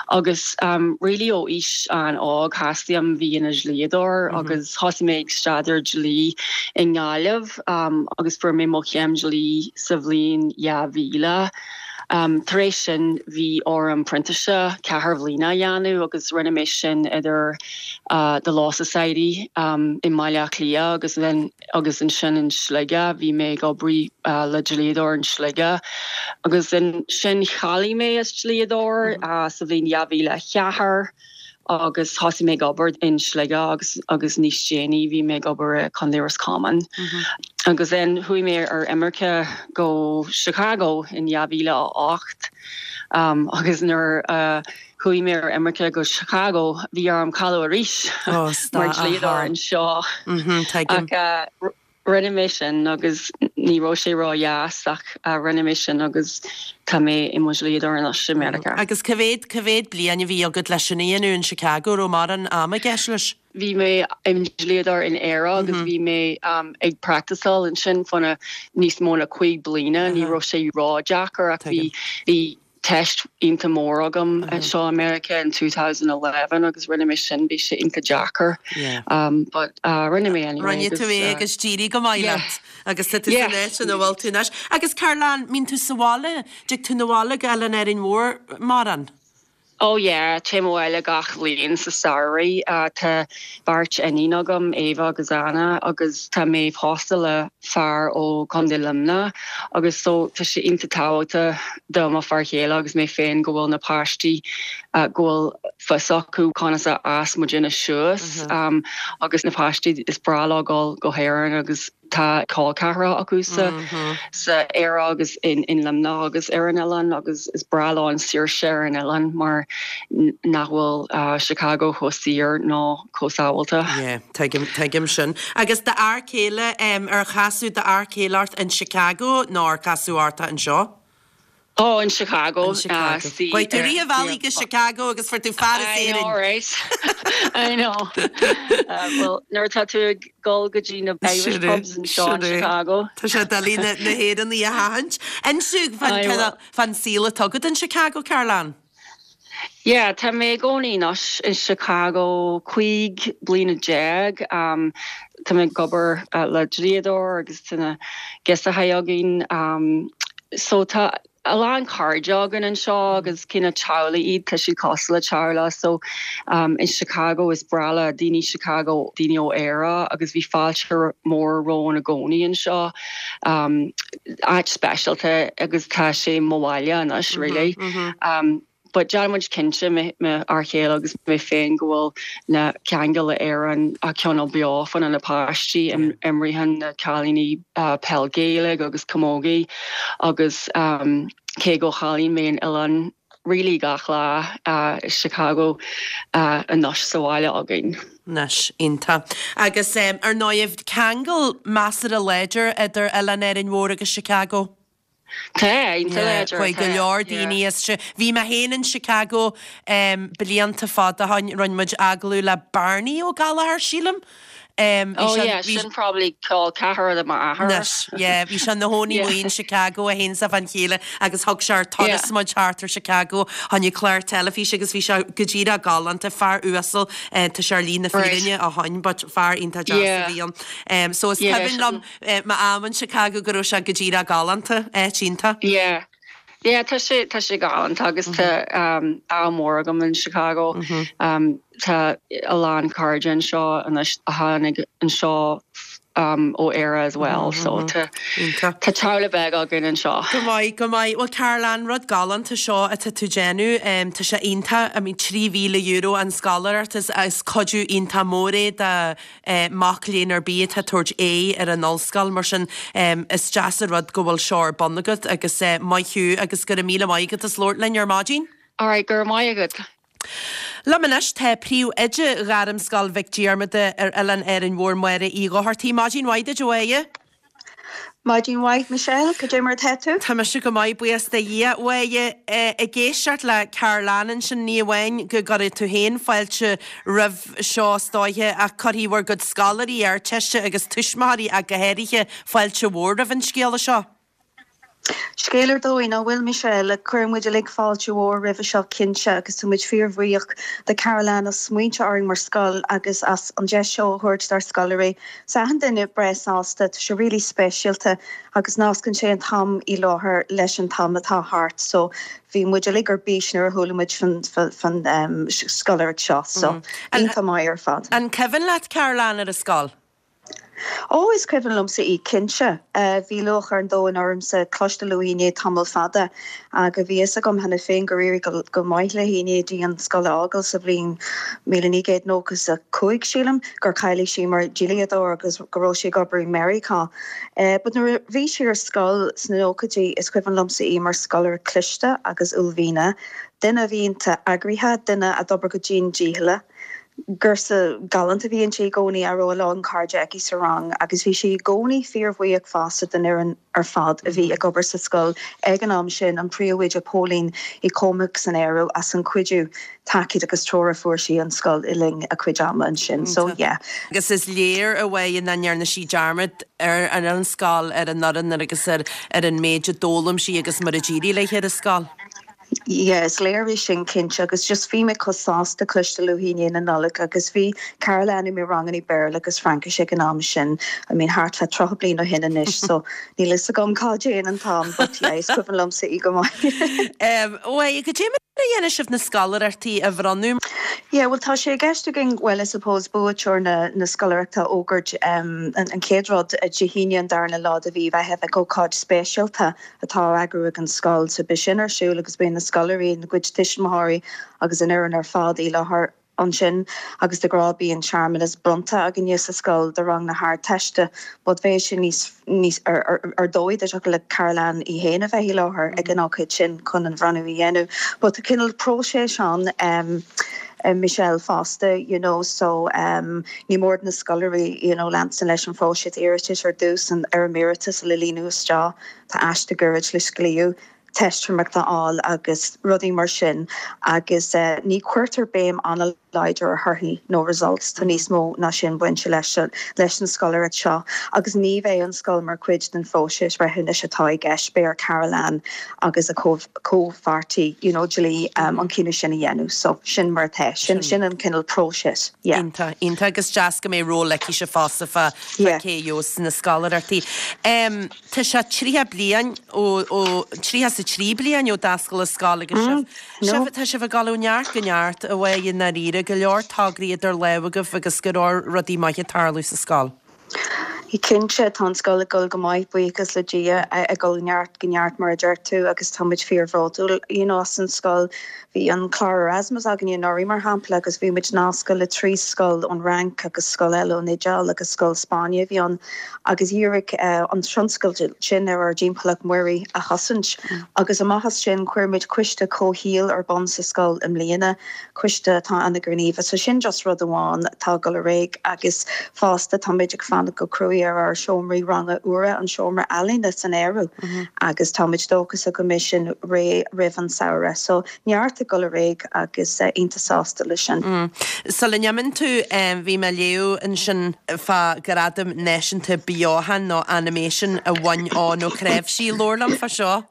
agus um, really ó aois an-óg theastaigh uaim bheith ina dhlíodóir mm -hmm. agus thosaigh mé ag staidéar dlí i nGaillimh um, agus fuair mé mo chéim dlí sa bhliain dhá mhíle. Um, Tar éis sin bhí orm printíseacht ceithre bliana a dhéanamh agus rinne mé sin idir uh, the Law Society um, i mBaile Átha Cliath agus then agus ansin in Sligeach bhí mé ag obair uh, le dlíodóir in Sligeach agus ansin cháiligh mé as dlíodóir mm -hmm. uh, sa bhliain dhá mhíle a ceathair. agus thosaigh mé ag obair in Sligeach agus agus níos déanaí bhí mé ag obair i Contae Roscommon. Mm -hmm. Agus then chuaigh mé ar imirce go Chicago in dhá mhíle a hocht um, agus nuair uh, chuaigh mé ar imirce go Chicago bhí orm cáiliú arís oh, mar dhlíodóir anseo. Mm -hmm, uh, rinne mé sin agus ní raibh sé ró-dheas ach uh, rinne mé sin agus tá mé i mo dhlíodóir anois i Meiriceá. Agus cá mhéad cá mhéad bliain a bhí agat leis sin a dhéanamh in Chicago ó mar an am a gceist leis? Bhí mé im dhlíodóir in Éire agus mm -hmm. bhí mé um, ag practiceáil ansin fá níos mó ná cúig bliana, ní raibh sé ró-dheacair ach bhí bhí test iontach mór agam mm -hmm. seo America in two thousand eleven agus rinne mé sin bhí sé iontach deacair. Um, but uh, rinne mé anyway. Rinne tú é agus d'éirigh go maith leat agus tá tú san áit ina bhfuil tú anois. Agus Carolann, mbíonn tú sa bhaile, dtig tú 'na bhaile go Oileán Árainn Mhór mórán? Oh yeah, téim abhaile gach bliain sa samhradh. Uh, tá beirt iníon agam, Eva agus Anna, agus tá mé pósta le fear ó Contae Luimneach agus so tá sé iontach tábhachtach do mo fear chéile agus mé féin go bhfuil na páistí go bhfuil fios acu conas a fhás muidinne suas um, agus na páistí is breá leo dul go hÉirinn agus tá col ceathracha acu sa sa Éire agus in in Luimneach agus ar an oileán agus is breá leo an saoirse ar an oileán mar nach bhfuil uh, Chicago chomh saor ná chomh sábháilte. Yeah, tuigim tuigim sin. Agus d'fhear céile um, ar casadh d'fhear céile ort in Chicago nó ar casadh ort anseo? Oh, in Chicago. In Chicago. Uh, Chuaigh tú rith an bhealaigh go Chicago agus fuair tú fear I know, right? I know. Uh, well, nuair tá tú ag dul go dtí na Irish pubs anseo in Chicago. Tá sé doiligh na hÉireannaigh a sheachaint. Inis fán saol atá agat in Chicago, Carolann? Yeah, tá mé i gcónaí anois in Chicago cúig bliana déag. Um, tá mé ag obair uh, le dlíodóir agus tá na gasúir againn. Um, so tá a lán cairde againn anseo agus cineál teaghlaigh iad tá siad cosúil le teaghlach so um, in Chicago is breá le daoine Chicago daoine ó Éire agus bhí fáilte mór romhainn i gcónaí anseo um, áit speisialta agus tá sé mo bhaile anois really. Mm -hmm. um, but déanaimid cinnte m'fhear céile agus mé féin go bhfuil na ceangail le Éirinn á coinneáil beo fá na páistí imríonn na cailíní uh, peil Ghaelach agus camogie agus um, cé go gcailleann mé an oileán really gach lá uh, Chicago uh, anois sa bhaile againn. Anois iontach. Agus um, ar ndóigh ceangal measartha láidir idir Oileán Árainn Mhór agus Chicago. Tá láidir go leor daoine is se. Bhí mé féin in Chicago um, blianta fada ó shin rinne muid agallamh le Barney Ó Gallchóir sílim. Um, oh yeah, sin probably col ceathracha de m'athair. Yeah, bhí sé ina chónaí yeah. in Chicago a haon sa fan chéile agus thug sé ar turas muid thart ar Chicago tháinig clár teilifíse agus bhí sé go díreach galánta fear uasal eh, tá sé ar shlí na fírinne ó shin, but fear iontach deas a bhí ann. Um, so is cuimhin liom eh, m'am in Chicago go raibh sé go díreach galánta eh, iontach. Yeah. Yeah, tá sé tá sé galánta agus tá um, ádh mór agam in Chicago. Mm -hmm. um, tá a lán cairde anseo anois a tháinig anseo um, ó Éire as well, mm -hmm. so tá tá teaghlach beag againn anseo. Go maith go maith well Carolann rud galánta seo atá tú déanamh um, tá sé iontach I mean trí mhíle euro an scoláireacht is is cuidiú iontach mór é do uh, mac léinn ar bith atá ag tabhairt aghaidh ar an ollscoil mar sin um, is deas an rud go bhfuil seo ar bun agat agus uh, maith thú agus go raibh míle maith agat as labhairt linn ar maidin? Alright, go raibh maith agat. Liom anois tá príomhoide Ghairmscoil Mhic Diarmada ar Oileán Árainn Mhór Máire Uí Dhochartaigh Maidin mhaith duit a Mháire. Maidin mhaith Michelle, cad é mar atá tú? Tá mise go maith buíochas do Dhia a Mháire ag éisteacht le Carolann ansin ní amháin go gcuirfidh tú féin fáilte roimh seo is dóiche ach cuirfidh bhur gcuid scoláirí Ardteiste agus tuismitheoirí ach go háirithe fáilte mhór roimh an scéala seo. Scéal ar dóigh nach bhfuil Michelle le cuireann muid uilig fáilte mhór roimhe seo cinnte agus tá muid fíorbhuíoch de Carolann as smaoineamh orainn mar scoil agus as an deis seo a thabhairt dár scoláirí. Tá achan duine breá sásta tá sé really speisialta agus nascann sé an t-am i láthair leis an t-am atá thart, so bhí muid uilig ar bís nuair a chuala muid fan um, scoláireacht seo, so mm. iontach maith ar fad. An cuimhin leat Carolann ar an scoil? Ó is cuimhin liomsa í cinnte bhí lúcháir an domhain ormsa cloisteáil uaithi i ndiaidh tamall fada agus bhí fhios agam cheana féin gur éirigh go maith léi i ndiaidh di an scoil a fhágáil sa bhliain míle naoi gcéad nócha is a cúig sílim gur cháiligh sí mar dhlíodóir agus go raibh sí ag obair i Meiriceá. But nuair a bhí sí ar scoil sna nóchaidí is cuimhin liomsa í mar scoláire cliste agus uaillmhianach, duine a bhí iontach eagraithe, duine a d'obair go dian dícheallach. Girseach galánta a bhí inti i gcónaí a raibh a lán cairde aici sa rang agus bhí sí i gcónaí fíorbhuíoch fosta den fhoireann ar fad a bhí ag obair sa scoil ag an am sin an príomhoide Pauline Uí Chormaic san áireamh as an cuidiú tacaíocht agus treoir a fuair sí an scoil i linn a cuid ama ansin. So yeah. Agus is léir a bheith nach ndearna sí dearmad ar an an scoil ar an fhoireann agus ar ar an méid a d'fhoghlaim sí agus mar a d'éirigh léi ar an scoil. Yeah, is léir é sin cinnte agus just bhí mé chomh sásta cloisteáil uaithi i ndiaidh na Nollag agus bhí Carolann i mo ranganna Béarla agus Fraincis ag an am sin. I mean thart fá tríocha bliain ó shin anois, so níl fhios agam cá dtéann an t-am, but yeah, is cuimhin liomsa í go maith. Um, Well, go dté a dhéanfaidh sibh na scoláireachtaí a bhronnadh? Yeah, well tá sé i gceist againn, well I suppose buaiteoir na na scoláireachta a fhógairt um, an, an chéad rud Dé hAoine an darna lá de mhí Mheithimh ag ócáid speisialta atá á eagrú ag an scoil, so beidh sin ar siúl agus beidh na scoláirí, a gcuid tuismitheoirí agus an fhoireann ar fad i láthair ansin agus de ghnáth bíonn searmanas bronnta againne sa scoil do rang na hArdteiste but bheadh sé níos níos ar ar ar dóigh dá dtiocfadh le Carol Ann í féin a bheith i láthair ag an ócáid sin chun an bhronnadh a dhéanamh. But tá cineál próiseas ann um, Michelle fosta you know so um, ní mór na scoláirí you know leanstan leis an phróiseas iarratais ar dtús an fhoirm iarratais a líonadh isteach tá aiste gairid le scríobh teistiméireacht a fháil agus rudaí mar sin agus uh, ní chuirtear béim an-láidir ar thorthaí nó results tá níos mó ná sin bainte leis leis an scoláireacht seo agus ní bheidh an scoil mar chuid den phróiseas breithiúnais atá i gceist beidh ar Carol Ann agus a comhpháirtí you know, dlí um, an cinneadh sin a dhéanamh so sin mar atá sin sin an cineál próiseas. Yeah. Iontach iontach agus deas go mbeidh ról aici fosta fá cé gheobhas na scoláireachtaí. Um, Tá sé tríocha bliain ó tríocha is a trí bliain ó d'oscail an scoil agus mm, no. Tá sibh ag dul ó neart go neart a bheith i ndáiríre go leor tograí idir lámha agaibh agus go leor rudaí maithe ag tarlú sa scoil. Cinnte tá an scoil ag dul go maith buíochas le Dia ag dul ó neart go neart mar a deir tú agus táimid fíorbhródúil you know, as an scoil bhí an clár Erasmus againn anuraidh mar shampla agus bhí muid nasctha le trí scoil ón Fhrainc agus scoil eile ón Iodáil agus scoil Spáinne bhí an agus dhírigh uh, an tionscal sin ar ár dtimpeallacht mhuirí a chosaint mm. agus amach as sin chuir muid coiste comhshaoil ar bun sa scoil i mbliana coiste atá an-ghníomhach so sin just rud amháin tá ag dul ar aghaidh agus fosta táimid ag fanacht go cruaidh ar ár seomraí ranga úra an seomra ealaíne san áireamh mm -hmm. agus táimid dóchasach go mbeidh sin réidh roimh an samhradh so neart ag dul ar aghaidh agus uh, iontach sásta leis sin. Mm. Sula n-imíonn tú um, bhí mé ag léamh ansin fá gradam náisiúnta beochan nó animation a bhain Eoin Ó Cnáimhsí labhair liom fá seo.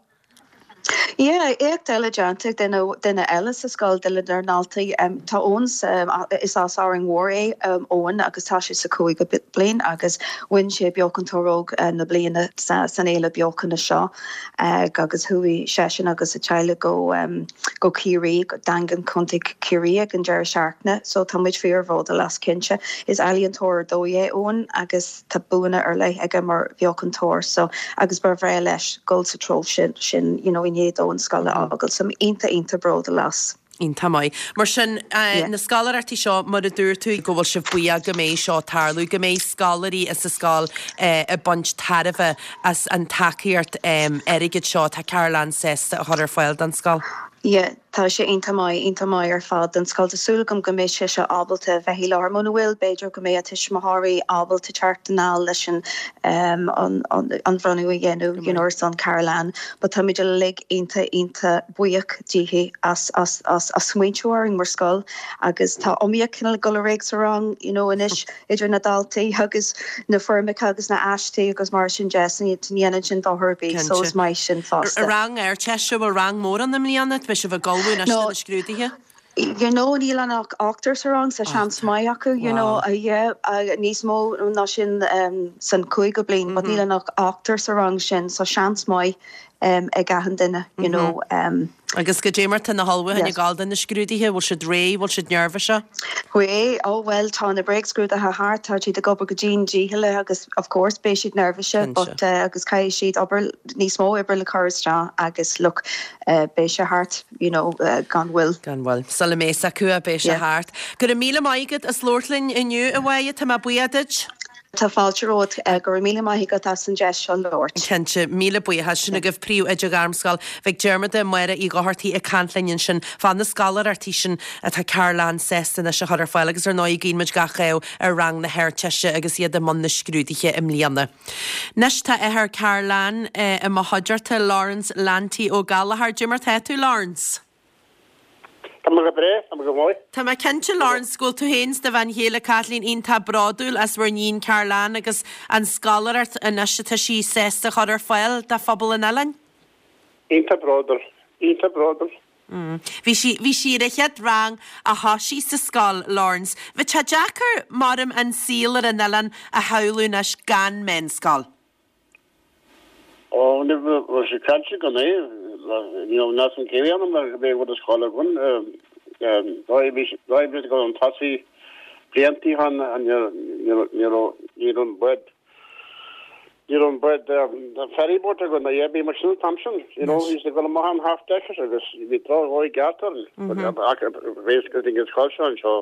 Yeah, éacht eile déanta duine duine eile sa scoil duine dár ndaltaí um, tá Eoin um, is as Árainn Mhór é um, Eoin agus tá sé sa cúigiú bliain agus bhain sé beochantóir óg uh, na bliana sa, san fhéile beochana seo uh, agus chuaigh seisean agus a theaghlach go um, go Ciarraí go Daingean Contae Chiarraí ag an deireadh seachtaine, so tá muid fíorbhródúil as cinnte is ealaíontóir dó é Eoin agus tá buanna ar leith aige mar bheochantóir so agus ba bhreá leis dul sa treo sin sin you know, i ndiaidh dó an scoil a fhágáil so iontach iontach bródúil as. Iontach maith. Mar sin uh, yeah. na scoláireachtaí seo mar a dúirt tú go bhfuil sibh buíoch go mbeidh seo ag tarlú, go mbeidh scoláirí sa scoil uh, ag baint tairbhe as an tacaíocht um, airgid seo tá Carol Ann sásta a chur ar fáil don scoil. Yeah, tá sé iontach maith iontach maith ar fad den scoil Tá súil agam go mbeidh sé seo ábalta bheith i láthair muna bhfuil b'fhéidir go mbeidh a tuismitheoirí ábalta teacht anall leis an um, an, an, an bhronnadh a dhéanamh you know, ar son Carol Ann, but táimid uilig iontach iontach buíoch díthi as, as, as, as smaointiú orainn mar scoil agus tá iomaíocht cineál ag dul ar aghaidh sa rang you know, anois idir na daltaí agus na foirmeacha agus na haistí agus mar sin de ní dhéanann sin dochar ar bith so is maith sin fosta. Rang Ardteiste bhfuil rang mór ann i mbliana, beidh sibh ag ullmhú No. na scrúduithe? You know níl ann ach ochtar sa rang so seans maith acu you know uh, yeah, uh, níos mó ná sin um, san cúigiú bliain, but níl ann ach ochtar sa rang sin so seans maith um, ag achan duine you know um, Agus goidé mar tá na hullmhúcháin Yes. ag gabháil do na scrúduithe, bhfuil siad réidh, bhfuil siad neirbhíseach? Way oh well tá na bréagscrúduithe thart tá siad ag obair go dian dícheallach agus of course beidh siad neirbhíseach Cinnte. but uh, agus caithfidh siad obair níos mó oibre le cur isteach agus look uh, beidh sé thart you know uh, gan mhoill. Gan mhoill. Sula mbeidh a fhios acu beidh sé Yeah. thart. Go raibh míle maith agat as labhairt linn inniu a Mháire tá mé buíoch duit? Tá fáilte romhat uh, go raibh míle maith agat as an deis seo labhairt. Cinnte míle buíochas sin agaibh príomhoide Ghairmscoil Mhic Diarmada Máire Uí Dhochartaigh ag caint linn ansin fá na scoláireachtaí sin atá Carol Ann sásta anois a chur ar fáil agus ar ndóigh guímid gach ádh ar rang na hArdteiste agus iad i mbun na scrúduithe i mbliana. Anois tá athair Carol Ann eh, i mo chuideachta Lawrence Lanty Ó Gallchóir Goidé mar tá tú Lawrence. Tá go breá tá go maith. Tá mé cinnte Lawrence go bhfuil tú féin is do bhean chéile Kathleen iontach bródúil as bhur n-iníon Carol Ann agus an scoláireacht anois atá sí sásta chur ar fáil do phobal an oileáin? Iontach bródúil, iontach bródúil. Mm. Bhí sí bhí sí ar an chéad rang a thosaigh sa scoil Lawrence. Bhí sé deacair maram an saol ar an oileán a shamhlú anois gan meánscoil. Ó ní sé caiite go é ní raibh níos an céibh ann mar bhí rud scoil againn. D'oibrigh go an tosaí bliantaí han ní raibh an bád ní raibh an bád ferry boat againn na bhí mar sin an t-am sin. You know, bhí sé ag dul amach an half decker agus bhí droch-dhóigh ceart orainn. Ach bhí go dtí an scoil seo anseo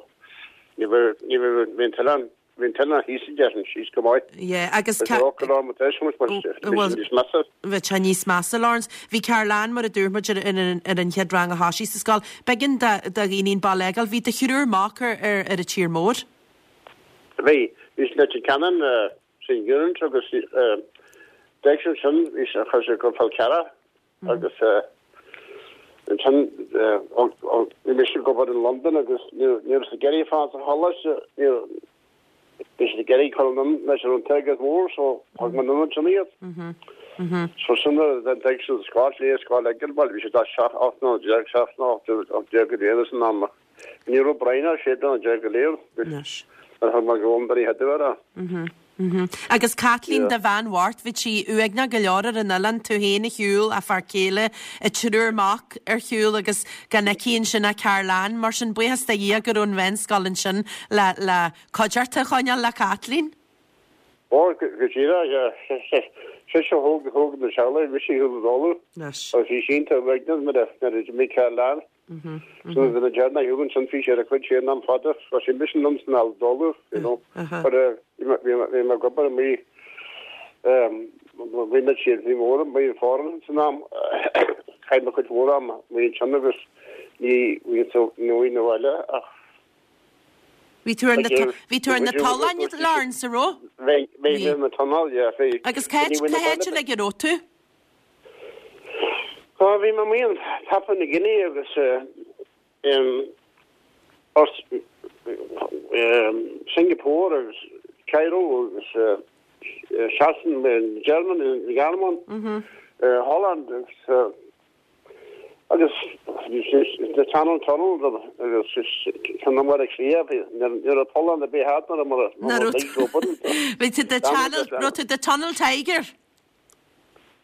ní bheadh ní bheadh bhí an t-oileán Bhí an t-oileán thíos a déarfainn, síos go maith. Yeah, agus Bhí sé go raibh tar éis muid mar bhí sé níos measa. Bhí sé níos measa, Laurence. Bhí Carolanne, mar a dúirt muid ar ar an chéad rang a thoisigh sa scoil. B'éigean do do dhaoine an baile a fhágáil. Bhí do thriúr mac ar ar ar an tír mór. Bhí. Bhí sé Leitir Ceanainn, St Eunan's agus d'éag sé ansin, bhí sé, chuir sé go Fál Carrach agus ansin bhí mise ag obair in Londain agus ní raibh siad ag iarraidh fanacht sa choláiste, ní bhí siad ag iarraidh cur anonn leis an t-airgead mór so thug mé anonn ansin iad. So sin nuair a d'fhág siad an scoil, léigh scoil ag bhuel bhí siad seacht ocht mbliana déag, seacht nó ocht ocht déag go léir san am. Ní raibh Brian ach sé bliana déag go léir. Anois. Nuair a thug mé go Londain a chéad uair é. Agus Caitlín, do bhean bhocht, bhí sí uaigneach go leor ar an oileán, tú féin ar shiúl, a fear céile, a triúr mac ar shiúl agus gan aici ansin ach Carolanne. Mar sin, buíochas do Dhia go raibh an mheánscoil ansin le le cuideachta a choinneáil le Caitlín. Ó, go díreach, sise a thóg thóg na teaghlaigh, mise ar shiúl i dtólamh. Anois. Agus bhí sí iontach uaigneach nuair a nuair a d'imigh Carolanne. So bhí na dearna a thugann sin fís ar a cuid féin am fada, tá sé mise liom san al dólamh, you know. But bhí mé ag obair amuigh, bhí mé siad, bhí mór amuigh in foreign san am, chaith mé cuid mhór ama amuigh ansin agus ní bhí so ní bhí na bhaile ach Bhí tú ar na bhí tú ar na tolláin Laurence, an raibh? Bhí, bhí ar na tolláin, yeah, bhí. Agus cá háit cá háit uilig a raibh tú? Ó, bhí mé amuigh in Papua New Guinea agus in Singapore agus Cairo agus Sasana, Germany, Ghearmáin, Holland agus agus the Channel Tunnel agus ceann Bhaile Átha Cliath, ní raibh tollán ar bith thart nuair a Bhí tú the Channel, raibh tú the Tunnel Tiger?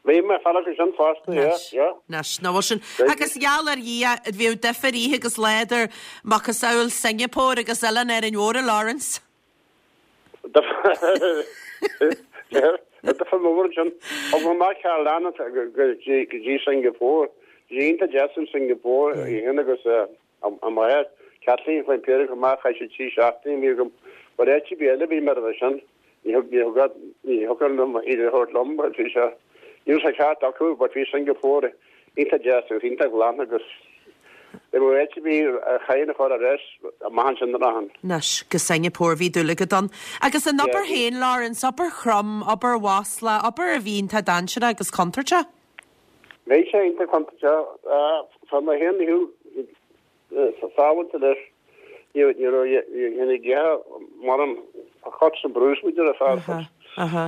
Bhí mé fear acu sin fosta, yeah, yeah. Anois, ná bhfuil sin. Agus gheall ar Dhia, bhíodh difear oíche agus lá idir macasamhail Singapore agus Oileán Árainn Mhór, a Laurence. Difear mór ansin. Thug mé amach Carolanne go dtí Singapore. Bhí sé iontach deas in Singapore, í féin agus a máthair, Kathleen, chuaigh an péire acu amach, chaith siad trí seachtaine, bhí agam, but áit ar bith eile bhí mé roimhe sin. Ní thug, ní thug, ní thiocfadh liom iad a thabhairt liom, but bhí sé, ní raibh sé ceart acu, but bhí Singapore iontach deas agus iontach glan agus ní raibh áit ar bith a chaithfinn a chur ar ais amach ansin a rachainn. Anois, go Singapore, bhí dúil agat ann. Agus an obair féin, Laurence, obair throm, obair mhaslach, obair a bhí iontach dainséarach agus contúirteach? Bhí sé iontach contúirteach, tá mé féin, sábháilte leis. Ní raibh ina gceatha mar an cuts and bruises we did a fear.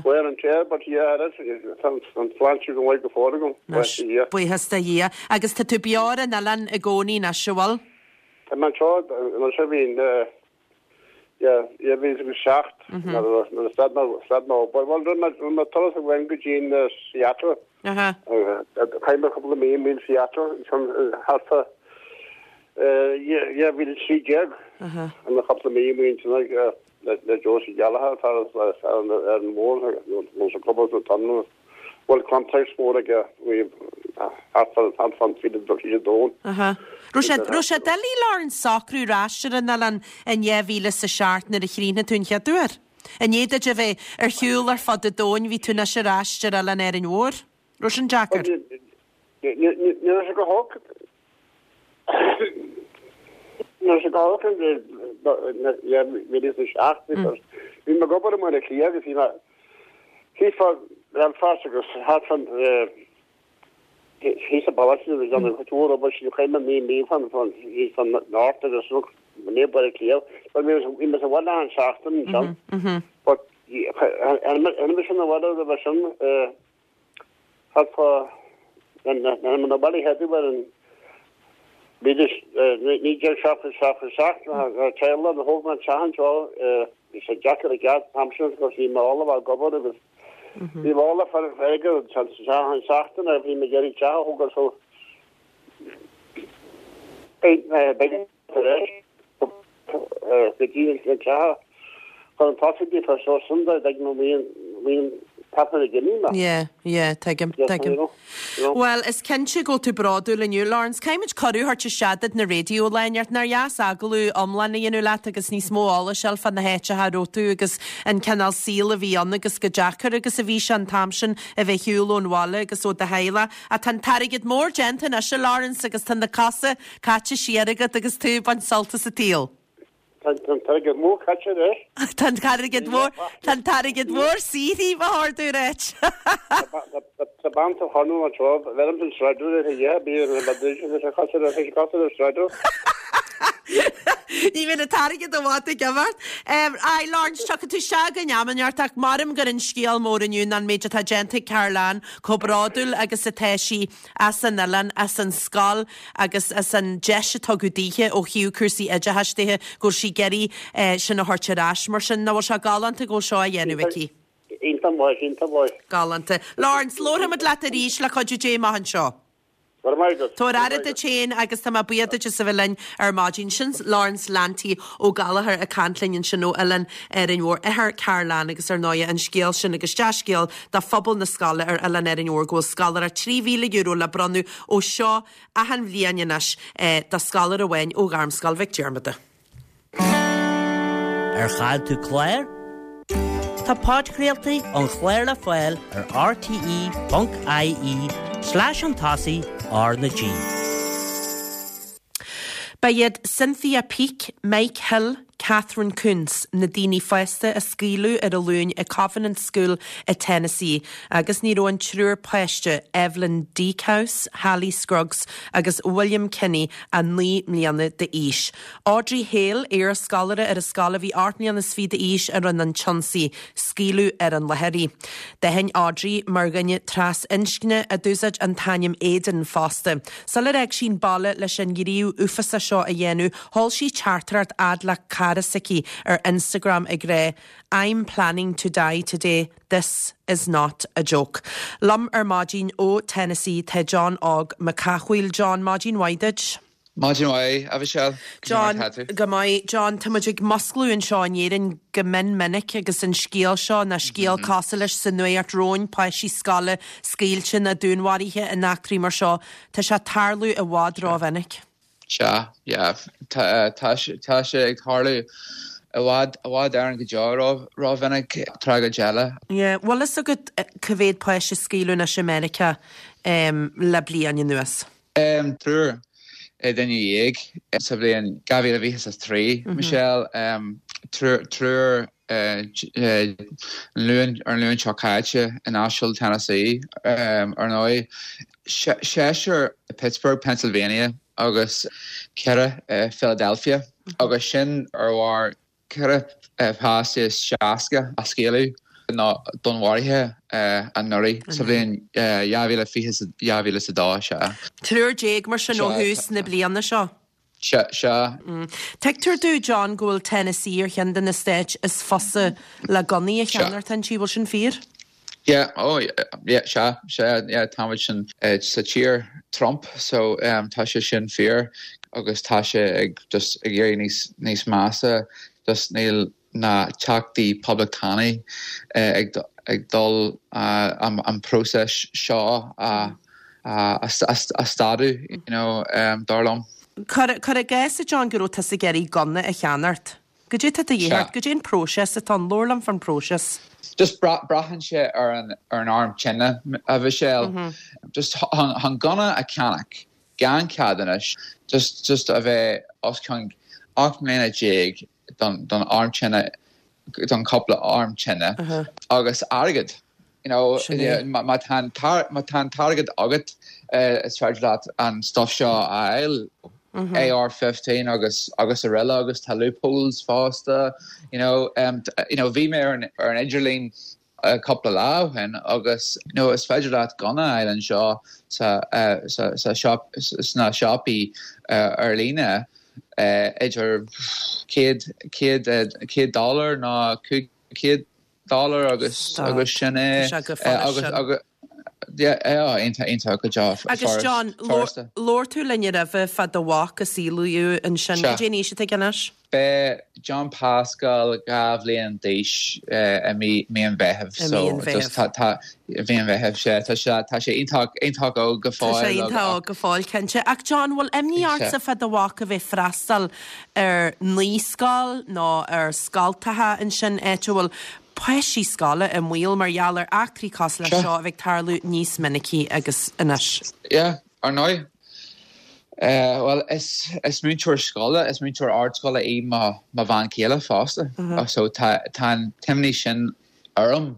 Wear and tear, but yeah, that's an tsláinte go maith go fóill agam. Anois, buíochas do Dhia. Agus tá tú beo ar an oileán i gcónaí anois, an bhfuil? Tá mé anseo, anseo bhí Yeah, yeah, bhí agus seacht nuair a stad mé stad mé obair. Bhuel, rinne mé rinne mé turas amháin go dtí Seattle. Chaith mé cúpla mí in Seattle ansin thart fá dhá mhíle a trí déag. An cúpla mí amuigh ansin ag le le Josie Gallagher atá ar an ar an mbord nó sa club sa tunnel. Bhuel, complex mór aige thart thart fán fiche fiche domhan. Raibh sé raibh sé doiligh Laurence socrú ar ais ar an oileán in dhá mhíle is a seacht nuair a chríochnaigh tú an chéad uair? I ndiaidh duit a bheith ar shiúl ar fud an domhain bhí tú anois ar ais ar oileán Árainn Mhór. Raibh sin deacair? Ní raibh sé go holc. Ní raibh sé go holc in dhá mhíle is a seacht because bhí mé ag obair i mBaile Átha Cliath agus bhí mé thíos fá Belfast agus thart fán thíos sa bhaile sin agus déanamh cuid mhór obair sin chaith mé naoi mí fán thíos fán North agus ní Baile Átha Cliath. But bhí mé sa bhaile achan seachtain ansin. But tháinig mise 'na bhaile roimhe sin thart fá tháinig mé 'na bhaile chéad uair in naoi déag seachtó seacht seacht na teaghlaigh a thóg mé an teach anseo bhí sé deacair i gceart an t-am sin agus bhí mé ullamh ag obair agus bhí mé ullamh far airgead an seachtain a bhí mé ag iarraidh teach a thógáil so Beidh beidh tar éis go dtí an teach chun tosaigh daofa so sin do beidh mo bhíonn bhíonn tapa na gcimí mé. Yeah, yeah, tuigim, tuigim. Bhuel, is cinnte go bhfuil tú bródúil inniu, Laurence. Caithfimid cuireadh a thabhairt isteach duit na raidió lá inteacht. Nár dheas agallamh iomlán a dhéanamh leat agus níos mó eolais a fháil fá na háiteacha a raibh tú agus an cineál saoil a bhí ann agus chomh deacair agus a bhí sé an t-am sin a bheith ar shiúl ón bhaile agus ó do theaghlach. Ach tá an t-airgead mór déanta anois, a Laurence, agus tá na cosa caite siar agat agus tú ag baint sult as an tsaol. Tá an t-airgead mór caite anois. Tá an t-airgead mór, tá an t-airgead mór saothraithe, ba chóir domh a ráit. Tá bean sa chonradh anseo, bheirim san sráid ar a dheich, bíonn an bheidir is cosúil le cosúil le sráid. Ní bhíonn an t-airgead i bhfad ag imeacht. Aye, Laurence, tiocfaidh tú isteach againn am inteacht ach maram gur an scéal mór inniu ná an méid atá déanta ag Carol-Anne, chomh bródúil agus atá sí as an oileán, as an scoil agus as an deis a tugadh daoithe ó thaobh cúrsaí oideachais de, go bhfuil sí ag iarraidh sin a thabhairt ar ais. Mar sin, nach bhfuil sé galánta go bhfuil seo á dhéanamh aici? Iontach maith, iontach maith. Galánta. Laurence, labharfaimid leat arís le cuidiú Dé amach anseo. Go raibh maith agat. Tabhair aire duit féin agus tá mé buíoch duit as a bheith linn ar maidin. Sin Laurence Lanty Ó Gallchóir ag caint linn ansin ó Oileán Árainn Mhór, athair Carol-Anne agus ar ndóigh an scéal sin agus dea-scéal do phobal na scoile ar Oileán Árainn Mhór go bhfuil scoláireacht trí mhíle euro le bronnadh ó seo achan bhliain anois do scoláire amháin ó Ghairmscoil Mhic Diarmada. Ar chaill tú clár? Tá podchraoltaí an chláir le fáil ar rte ponc ie slash an tosaigh R na G. Ba iad Cynthia Peak, Mike Hill, Katherine Koonce na daoine fásta a scaoileadh ar an Luan i Covenant School i Tennessee agus ní raibh an triúr páiste Evelyn Dieckhaus, Hallie Scruggs agus William Kinney ach naoi mbliana d'aois. Audrey Hale, iarscoláire ar an scoil a bhí ocht mbliana is fiche d'aois a rinne an t-ionsaí, scaoileadh ar an láthair í. D'aithin Audrey mar dhuine trasinscne a d'úsáid an t-ainm Aiden fosta. Sular fhág sí an baile leis an ngníomh uafásach seo a dhéanamh, sheol sí teachtaireacht fhad le cara s'aici ar Instagram ag rá, I'm planning to die today, this is not a joke. Liom ar maidin ó Tennessee tá John Óg Mac Cathmhaoil. John, maidin mhaith duit. Maidin mhaith, a Mhichelle. John, go maith. John, tá muid ag musclú anseo in Éirinn go mion minic agus an scéal seo ná scéal mm -hmm. cosúil leis sa nuacht romhainn páistí scoile scaoilte nó dúnmharaithe in eachtraí mar seo, tá sé ag tarlú i bhfad rómhinic. Sea, yeah, tá tá sé ag tarlú i bhfad i bhfad Éireann go deo rómhinic tragóid eile. Yeah, bhfuil fhios agat cá mhéad páiste a scaoileadh anois i Meiriceá um, le bliain anuas? Um, triúr duine dhéag sa bhliain dhá mhíle fiche a trí, Michelle, um, triúr triúr uh, Luan ar an Luan seo caite in Nashville, Tennessee, um, ar ndóigh. Seisear Pittsburgh, Pennsylvania agus ceithre uh, Philadelphia agus sin ar bharr ceithre pháiste is seasca a scaoileadh nó dúnmharaithe anuraidh sa bhliain dhá mhíle fiche dhá mhíle is a dó sea. Triúr déag mar sin ó thús na bliana seo. Sea, sea. Tuigtear domh, John, go bhfuil Tennessee ar cheann de na stáit is fusa le gunnaí a cheannacht inti, bhfuil sin fíor? Yeah, oh, yeah, sea, sea, yeah, táimid sin sa tír Trump, so um, tá sé sin fíor agus tá sé ag just ag éirí níos níos measa, just níl na teachtaí poblachtánaigh uh, ag ag dul uh, an, an próiseas seo a a, a, a stadadh, you know, um, dar liom. Cuir i gcás a John go raibh tusa ag iarraidh gunna a cheannacht. Goidé tá de dhíth ort, goidé an próiseas atá ann, labhair liom fán próiseas. Just braitheann sé ar an ar an arm tine a Mhichelle. Mm -hmm. Just chun gunna a cheannach gan ceadúnas just just a bheith os cionn ocht mbliana déag don don arm tine don cúpla arm tine uh -huh. agus airgead. You know, má tá an t-airgead agat uh, is féidir leat an stuff seo a fháil. Mm -hmm. A R fifteen agus agus araile agus tá loopholes fosta you know um, you know bhí mé ar an, ar an idirlíon uh, cúpla lá ó shin agus you know, is féidir leat gunna a fháil anseo sa, uh, sa, sa shop, sna siopaí uh, ar líne uh, idir céad céad céad dollar nó cúig céad dollar agus agus sin é agus agus yeah, iontach iontach go deo. Agus John, labhair tú linn roimhe fá do mhac a saolaíodh ansin. Cad é an aois atá aige anois? Beidh John Pascal dhá bhliain d'aois i mí mí an Mheithimh. I mí an Mheithimh. So tá mí an Mheithimh sé tá sé tá sé iontach iontach óg go fóill. Tá sé iontach óg go fóill cinnte. Ach John, bhfuil imní ortsa fá do mhac a bheith freastal ar naíscoil nó ar scoltacha ansin áit a bhfuil páistí scoile i mbaol mar gheall ar eachtraí cosúil leis seo a bheith ag tarlú níos minicí agus anois? Yeah, ar ndóigh. Bhuel, is is múinteoir scoile, is múinteoir ardscoile í mo mo bhean chéile fosta. So tá tá an t-imní sin orm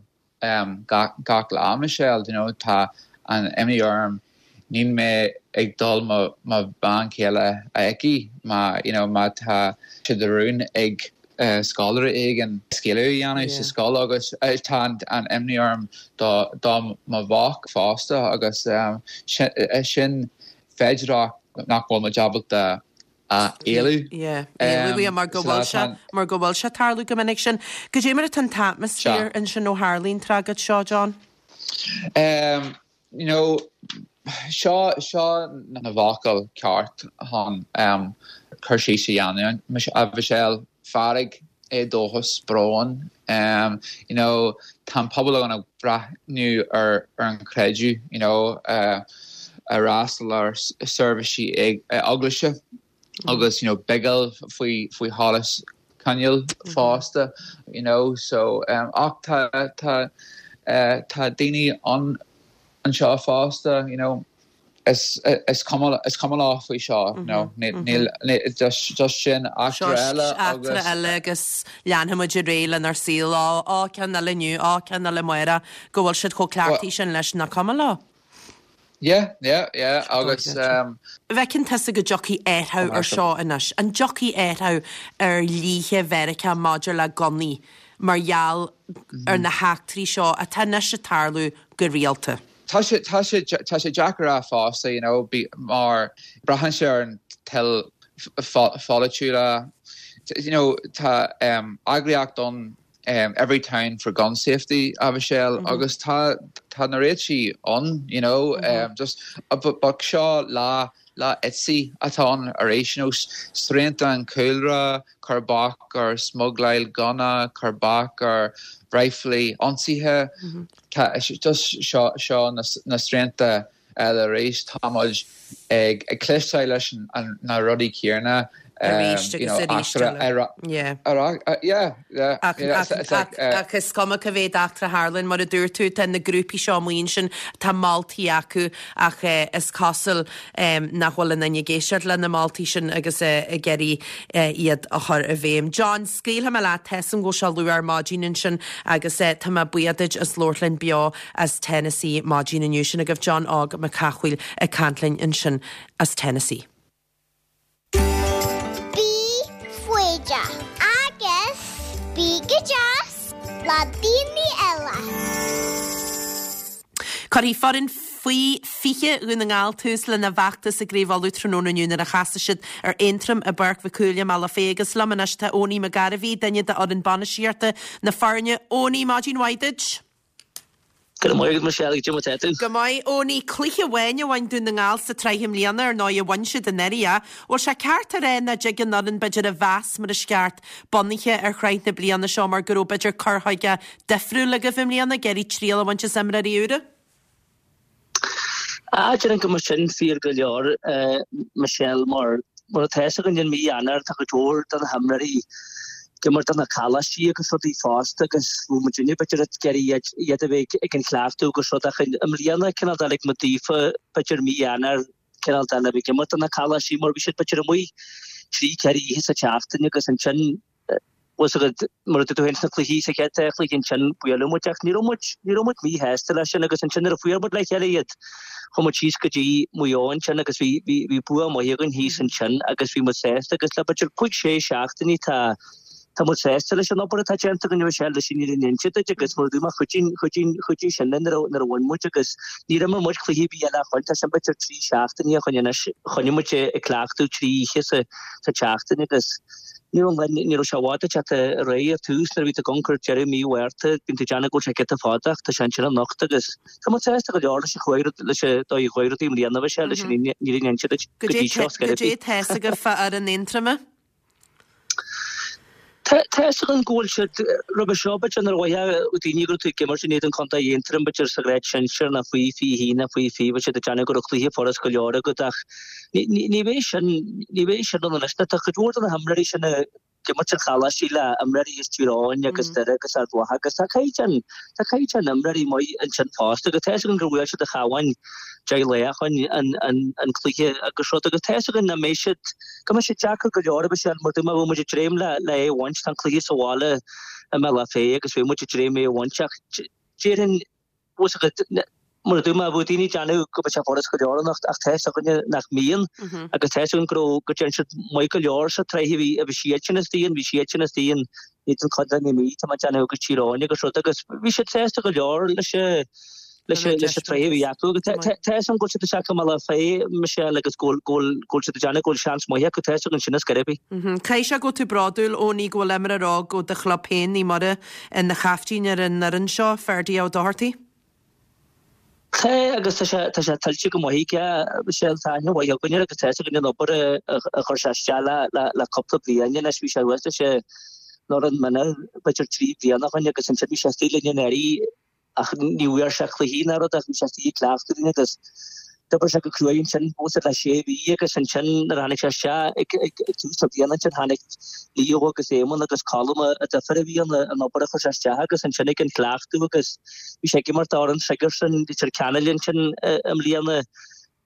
gach gach lá, Michelle, you know, tá an imní orm níl mé ag dul mo mo bhean chéile a fheiceáil má you know má tá sé de rún ag scoláire éigin scaoileadh a dhéanamh sa scoil agus tá an imní orm do do mo mhac fosta agus sin féidearthacht nach bhfuil muid ábalta a éalú. Yeah, éalú mar go bhfuil sé mar go bhfuil sé ag tarlú go minic sin. Cad é mar atá an t-atmaisféar ansin ó tharlaíonn tragóid seo, John? Um, you know, seo seo na focail ceart chun um, cur síos a dhéanamh a Mhichelle fearg éadóchas brón um, you know, tá an pobal againn ag breathnú ar ar an creideamh you know, uh, a fhreastal ar seirbhísí ag eaglaise agus you know, bigil faoi faoi sholas coinneal fosta you know, so um, ach tá tá uh, tá daoine an anseo fosta you know, is is cuma is cuma leo faoi seo you know, níl just just sin eachtra eile eachtra eile agus leanfaimid ar aghaidh lenár saol á á ceann eile inniu á ceann eile amárach go bhfuil siad chomh cleachtaithe sin leis nach cuma leo. Yeah, yeah, yeah, agus um, Bhfeiceann tusa go dtiocfaidh athrú ar seo anois, an dtiocfaidh athrú ar dhlíthe Mheiriceá maidir le gunnaí mar gheall ar na heachtraí seo atá anois ag tarlú go rialta. Tá sé tá sé tá sé deacair a fosta you know, bí, mar braitheann sé ar an toil pholaitiúla you know, tá um, eagraíocht ann um, every town for gun safety a Michelle mm -hmm. agus tá tá na réitigh ann you know mm -hmm. um, just uh, but, but seo lá lá Etsy atá ann arís you know, srianta an cúlra cur bac ar smugláil gunna cur bac ar riflí ionsaithe mm -hmm. tá just seo seo na, na srianta eile arís táimid ag ag cloisteáil leis an na rudaí céanna Arís agus arís eile. Yeah. Yeah, yeah. Ach, ach, ach, ach is cuma cá mhéad eachtra a tharlaíonn mar a dúirt tú tá na grúpaí seo amuigh ansin tá moltaí acu ach eh, is cosúil um, nach bhfuil aon duine ag éisteacht le na moltaí sin agus eh, ag iarraidh eh, iad a chur i bhfeidhm. John, scaoilfidh mé leat tá a fhios agam go bhfuil sé luath ar maidin ansin agus eh, tá mé buíoch duit as labhairt linn beo as Tennessee maidin inniu sin agaibh John Óg Mac Cathmhaoil ag caint linn ansin as Tennessee. Bí foighdeach agus bí go deas le daoine eile. Cuirfidh foireann faoi fiche Dhún na nGall tús lena bhfeachtas i gCraobh Uladh tráthnóna inniu nuair a chasfaidh siad ar Aontroim i bPáirc Mhic Cumhaill i mBealach Féich agus liom anois tá Owenie McGarvey, duine d'fhoireann bainistíochta na foirne. Owenie, maidin mhaith duit. Go maith Michelle go maith tú. Go maith Owenie cluiche amháin a bhain Dún na nGall sa tsraith i mbliana ar ndóigh a bhain siad anuraidh é. Bhfuil sé ceart a rá nach dtig an fhoireann b'fhéidir a mheas mar is ceart bunaithe ar shraith na bliana seo mar go raibh b'fhéidir cur chuige difriúil agaibh i mbliana ag iarraidh triail a bhaint as imreoirí úra? Ah déarfainn go mbeadh sin fíor go leor Michelle mar mar atá againn in mí Eanáir tá go leor de na himreoirí ag imirt do na coláistí agus rudaí fosta agus bhfuil muid inniu b'fhéidir ag iarraidh iad a bheith ag an chleachtadh agus rud ach i mbliana cineál de lig muid daofa b'fhéidir mí Eanáir cineál de le bheith ag imirt do na coláistí mar bhí siad b'fhéidir amuigh trí ceithre oíche sa tseachtain agus ansin was agad mar a dúirt tú féin sna cluichí sa chéad chluiche ansin buaileadh muid ach ní raibh muid ní raibh muid míshásta leis sin agus ansin nuair a fuair muid le chéile iad chuaigh muid síos go dtí Maigh Eo ansin agus bhí bhí bhí bua maith againn thíos ansin agus bhí muid sásta agus le b'fhéidir cúig sé seachtainí tá Tá muid sásta leis an obair atá déanta againn Michelle leis an fhírinne a inse duit agus mar a dúirt mé chuidigh chuidigh chuidigh sin linn nuair a nuair a bhain muid agus níor imir muid cluiche ar bith eile ó shin tá sin b'fhéidir trí seachtaine ó shin anois choinnigh muid ag cleachtadh trí oíche sa sa tseachtain agus ní raibh an ní raibh sé i bhfad ag teacht ar aghaidh ar tús nuair a bhí tú ag amharc ar deireadh mí Mhárta bíonn tú ag déanamh go bhfuil sé giota fada ach tá sé ansin anocht agus tá muid sásta go leor leis an chuaigh leis an dóigh a chuaigh rudaí i mbliana Michelle leis an fhírinne a inse duit go dtí seo Goidé tá fhios agaibh fá fhoireann Aontroma? Tá fhios againn go bhfuil siad roimhe seo b'fhéidir nuair a mhaífeadh daoine go raibh tú ag imirt in éadan Contae Aontroim b'fhéidir sa ghrád sinsir nó faoi fiche haon nó faoi fiche bheadh siad ag déanamh go raibh cluiche furast go leor agat ach ní bheidh sin ní bheidh sin ann anois. Tá cuid mhór de na himreoirí sin ag imirt ar choláistí le imreoirí as Tír Eoghain agus Doire agus Ard Mhacha agus tá caighdeán tá caighdeán imreoirí maith ansin fosta agus tá fhios againn gur bhuail siad an Chabhán deich lá ó shin an cluiche agus rud agus tá fhios againn nach mbeidh siad, go mbeidh sé deacair go leor a Mhichelle mar dúirt mé bheadh muid ag dréim le le é a bhaint, tá an cluiche sa bhaile i mBealach Féich agus bheadh muid ag dréim é a bhaint ach déarfainn bhfuil fhios agat mar a dúirt mé bheadh daoine ag déanamh go mbeadh sé furast go leor anocht ach tá fhios againne nach mbíonn agus tá fhios againn go raibh go dtearn siad maith go leor sa tsraith a bhí a bhí siadsan istigh ann, bhí siadsan istigh in éadan Contae na Mí, tá mé ag déanamh agus Tír Eoghain agus rud agus bhí siad sásta go leor leis an leis an tsraith a bhí acu. Agus tá fhios agam go bhfuil siad isteach i mBealach Féich, Michelle, agus go bhfuil go bhfuil siad ag déanamh go bhfuil seans maith acu, tá fhios againn sin ar scor ar bith. Caithfidh sé go bhfuil tú bródúil, Eoiní, go bhfuil imreoir óg ó do chlub féin, Naomh Muire, ina chaiftín ar an fhoireann seo, Ferdia Ó Dochartaigh. Tá, agus tá sé tá sé tuillte go maith aige, Michelle, tá aithne mhaith againn air agus tá fhios againn an obair a a chuir sé isteach le le le cúpla bliain anois, bhí sé thuas leis an fhoireann mionúr b'fhéidir trí bliana ó shin agus ansin bhí sé istigh linn anuraidh ach ní bhfuair sé cluichí ná rud ach bhí sé istigh ag cleachtadh linn agus d'oibir sé go cruaidh ansin fós le sé mhí agus ansin nuair a tháinig sé isteach ag ag ag tús na bliana ansin tháinig Leo agus Éamonn agus Colm an difear a bhí ann an obair a chuir sé isteach agus ansin ag an chleachtadh agus bhí sé ag imirt d'fhoireann Sigerson Leitir Ceanainn ansin i mbliana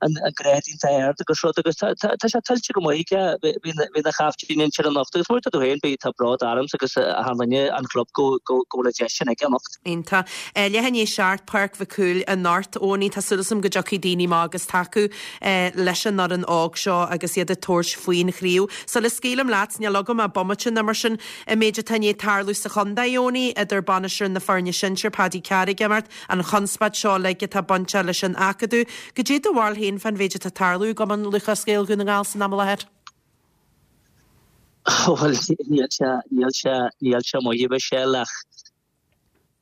an grád iontach ard agus rud agus tá sé tuillte go maith aige bheith ina chaiftín ansin anocht agus mar a dúirt tú féin beidh tá bród ormsa agus achan duine an chlub go go go bhfuil an deis sin aige anocht. Iontach. Leath i ndiaidh a seacht, Páirc Mhic Cumhaill anocht. Eoiní, tá súil agam go dtiocfaidh daoine amach agus tacú leis an fhoireann óg seo agus iad ag tabhairt faoin chraobh. Sula scaoilim leat, níl agam ach bomaite nó mar sin, an méid atá i ndiaidh tarlú sa chontae, Eoiní, idir bainisteoir na foirne sinsir, Paddy Carr ag imeacht, an chonspóid seo uilig atá bainteach leis an Acadamh. Goidé do bharúil féin fán mhéid atá ag tarlú i gCumann Lúthchleas Gael Dhún na nGall san am i láthair? Bhuel, níl sé, níl sé, níl sé maith, a Mhichelle, ach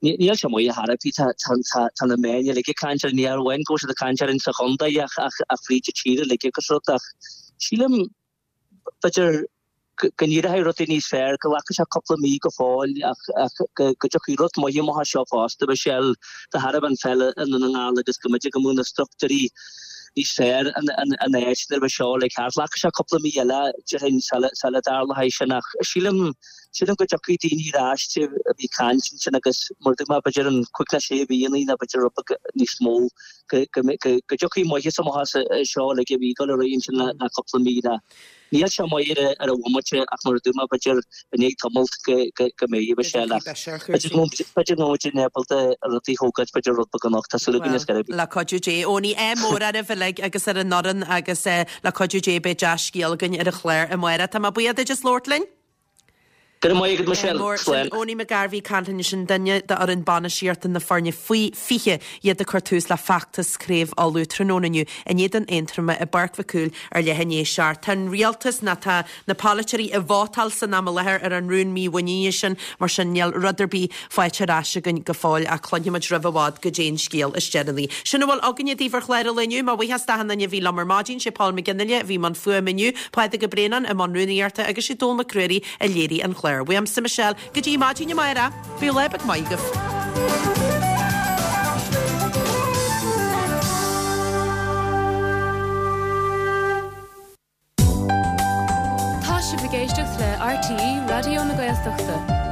níl sé maith ar chor ar bith. Tá, tá, tá, tá na meáin uilig ag caint air, ní amháin go bhfuil siad ag caint air insa chontae ach, ach, ach fríd an tír uilig agus rud ach sílim, b'fhéidir, go n-éireoidh rudaí níos fearr, go nglacfaidh sé cúpla mí go fóill ach go dtiocfaidh rud maith amach as seo fosta, Michelle, de thairbhe an pheil i nDún na nGall agus go mb'fhéidir go mbeadh na struchtúirí níos fearr in áit nuair a bheidh seo uilig thart. Glacfaidh sé cúpla mí eile, déarfainn, sula dtarlóidh sin ach sílim, sílim go dtiocfaidh daoine ar ais a bhí ag caint ansin agus mar a dúirt mé, b'fhéidir an cúig nó sé mhíonna nó b'fhéidir rud beag níos mó go dtiocfaidh maitheas amach as seo uilig a bhí ag dul ar aghaidh ansin le cúpla mí. Níl sé maith ar an bhomaite ach mar a dúirt mé b'fhéidir i ndiaidh tamalt go mbeidh a Mhichelle ach b'fhéidir go mbeidh muid ábalta rudaí a thógáilt b'fhéidir rud beag anocht, tá súil againn ar scor ar bith. Le cuidiú Dé. Eoiní, ádh mór oraibh uilig agus ar an fhoireann agus le cuidiú Dé beidh dea-scéal againn ar an chlár amárach. Tá mé buíoch duit as labhairt linn. Go raibh maith agat Michelle. Mór. Sin Slán. Eoiní McGarvey ag caint linn ansin, duine d'fhoireann bainistíochta na foirne faoi fiche, iad ag cur tús le feachtas Craobh Uladh tráthnóna inniu in éadan Aontroma i bPáirc Mhic Cumhaill ar leath i ndiaidh a seacht. Tá an rialtas, nó tá na polaiteoirí ag vótáil san am i láthair ar an rún mímhuiníne sin, mar sin níl rud ar bith faighte ar ais againn go fóill ach cluinfimid roimh i bhfad goidé an scéal is deireanaí. Sin a bhfuil againne daoibh ar chlár an lae inniu. Mo bhuíochas d'achan duine a bhí liom ar maidin, sé Paul McGinley a bhí i mbun fuaime inniu, Pádraig Ó Braonáin i mbun rúnaíochta agus sé Dónall Mac Ruairí a léirigh an clár. Uaimse Michelle, go dtí maidin amárach, bíodh lá beag maith agaibh. Tá sibh ag éisteacht le RTÉ Raidió na Gaeltachta.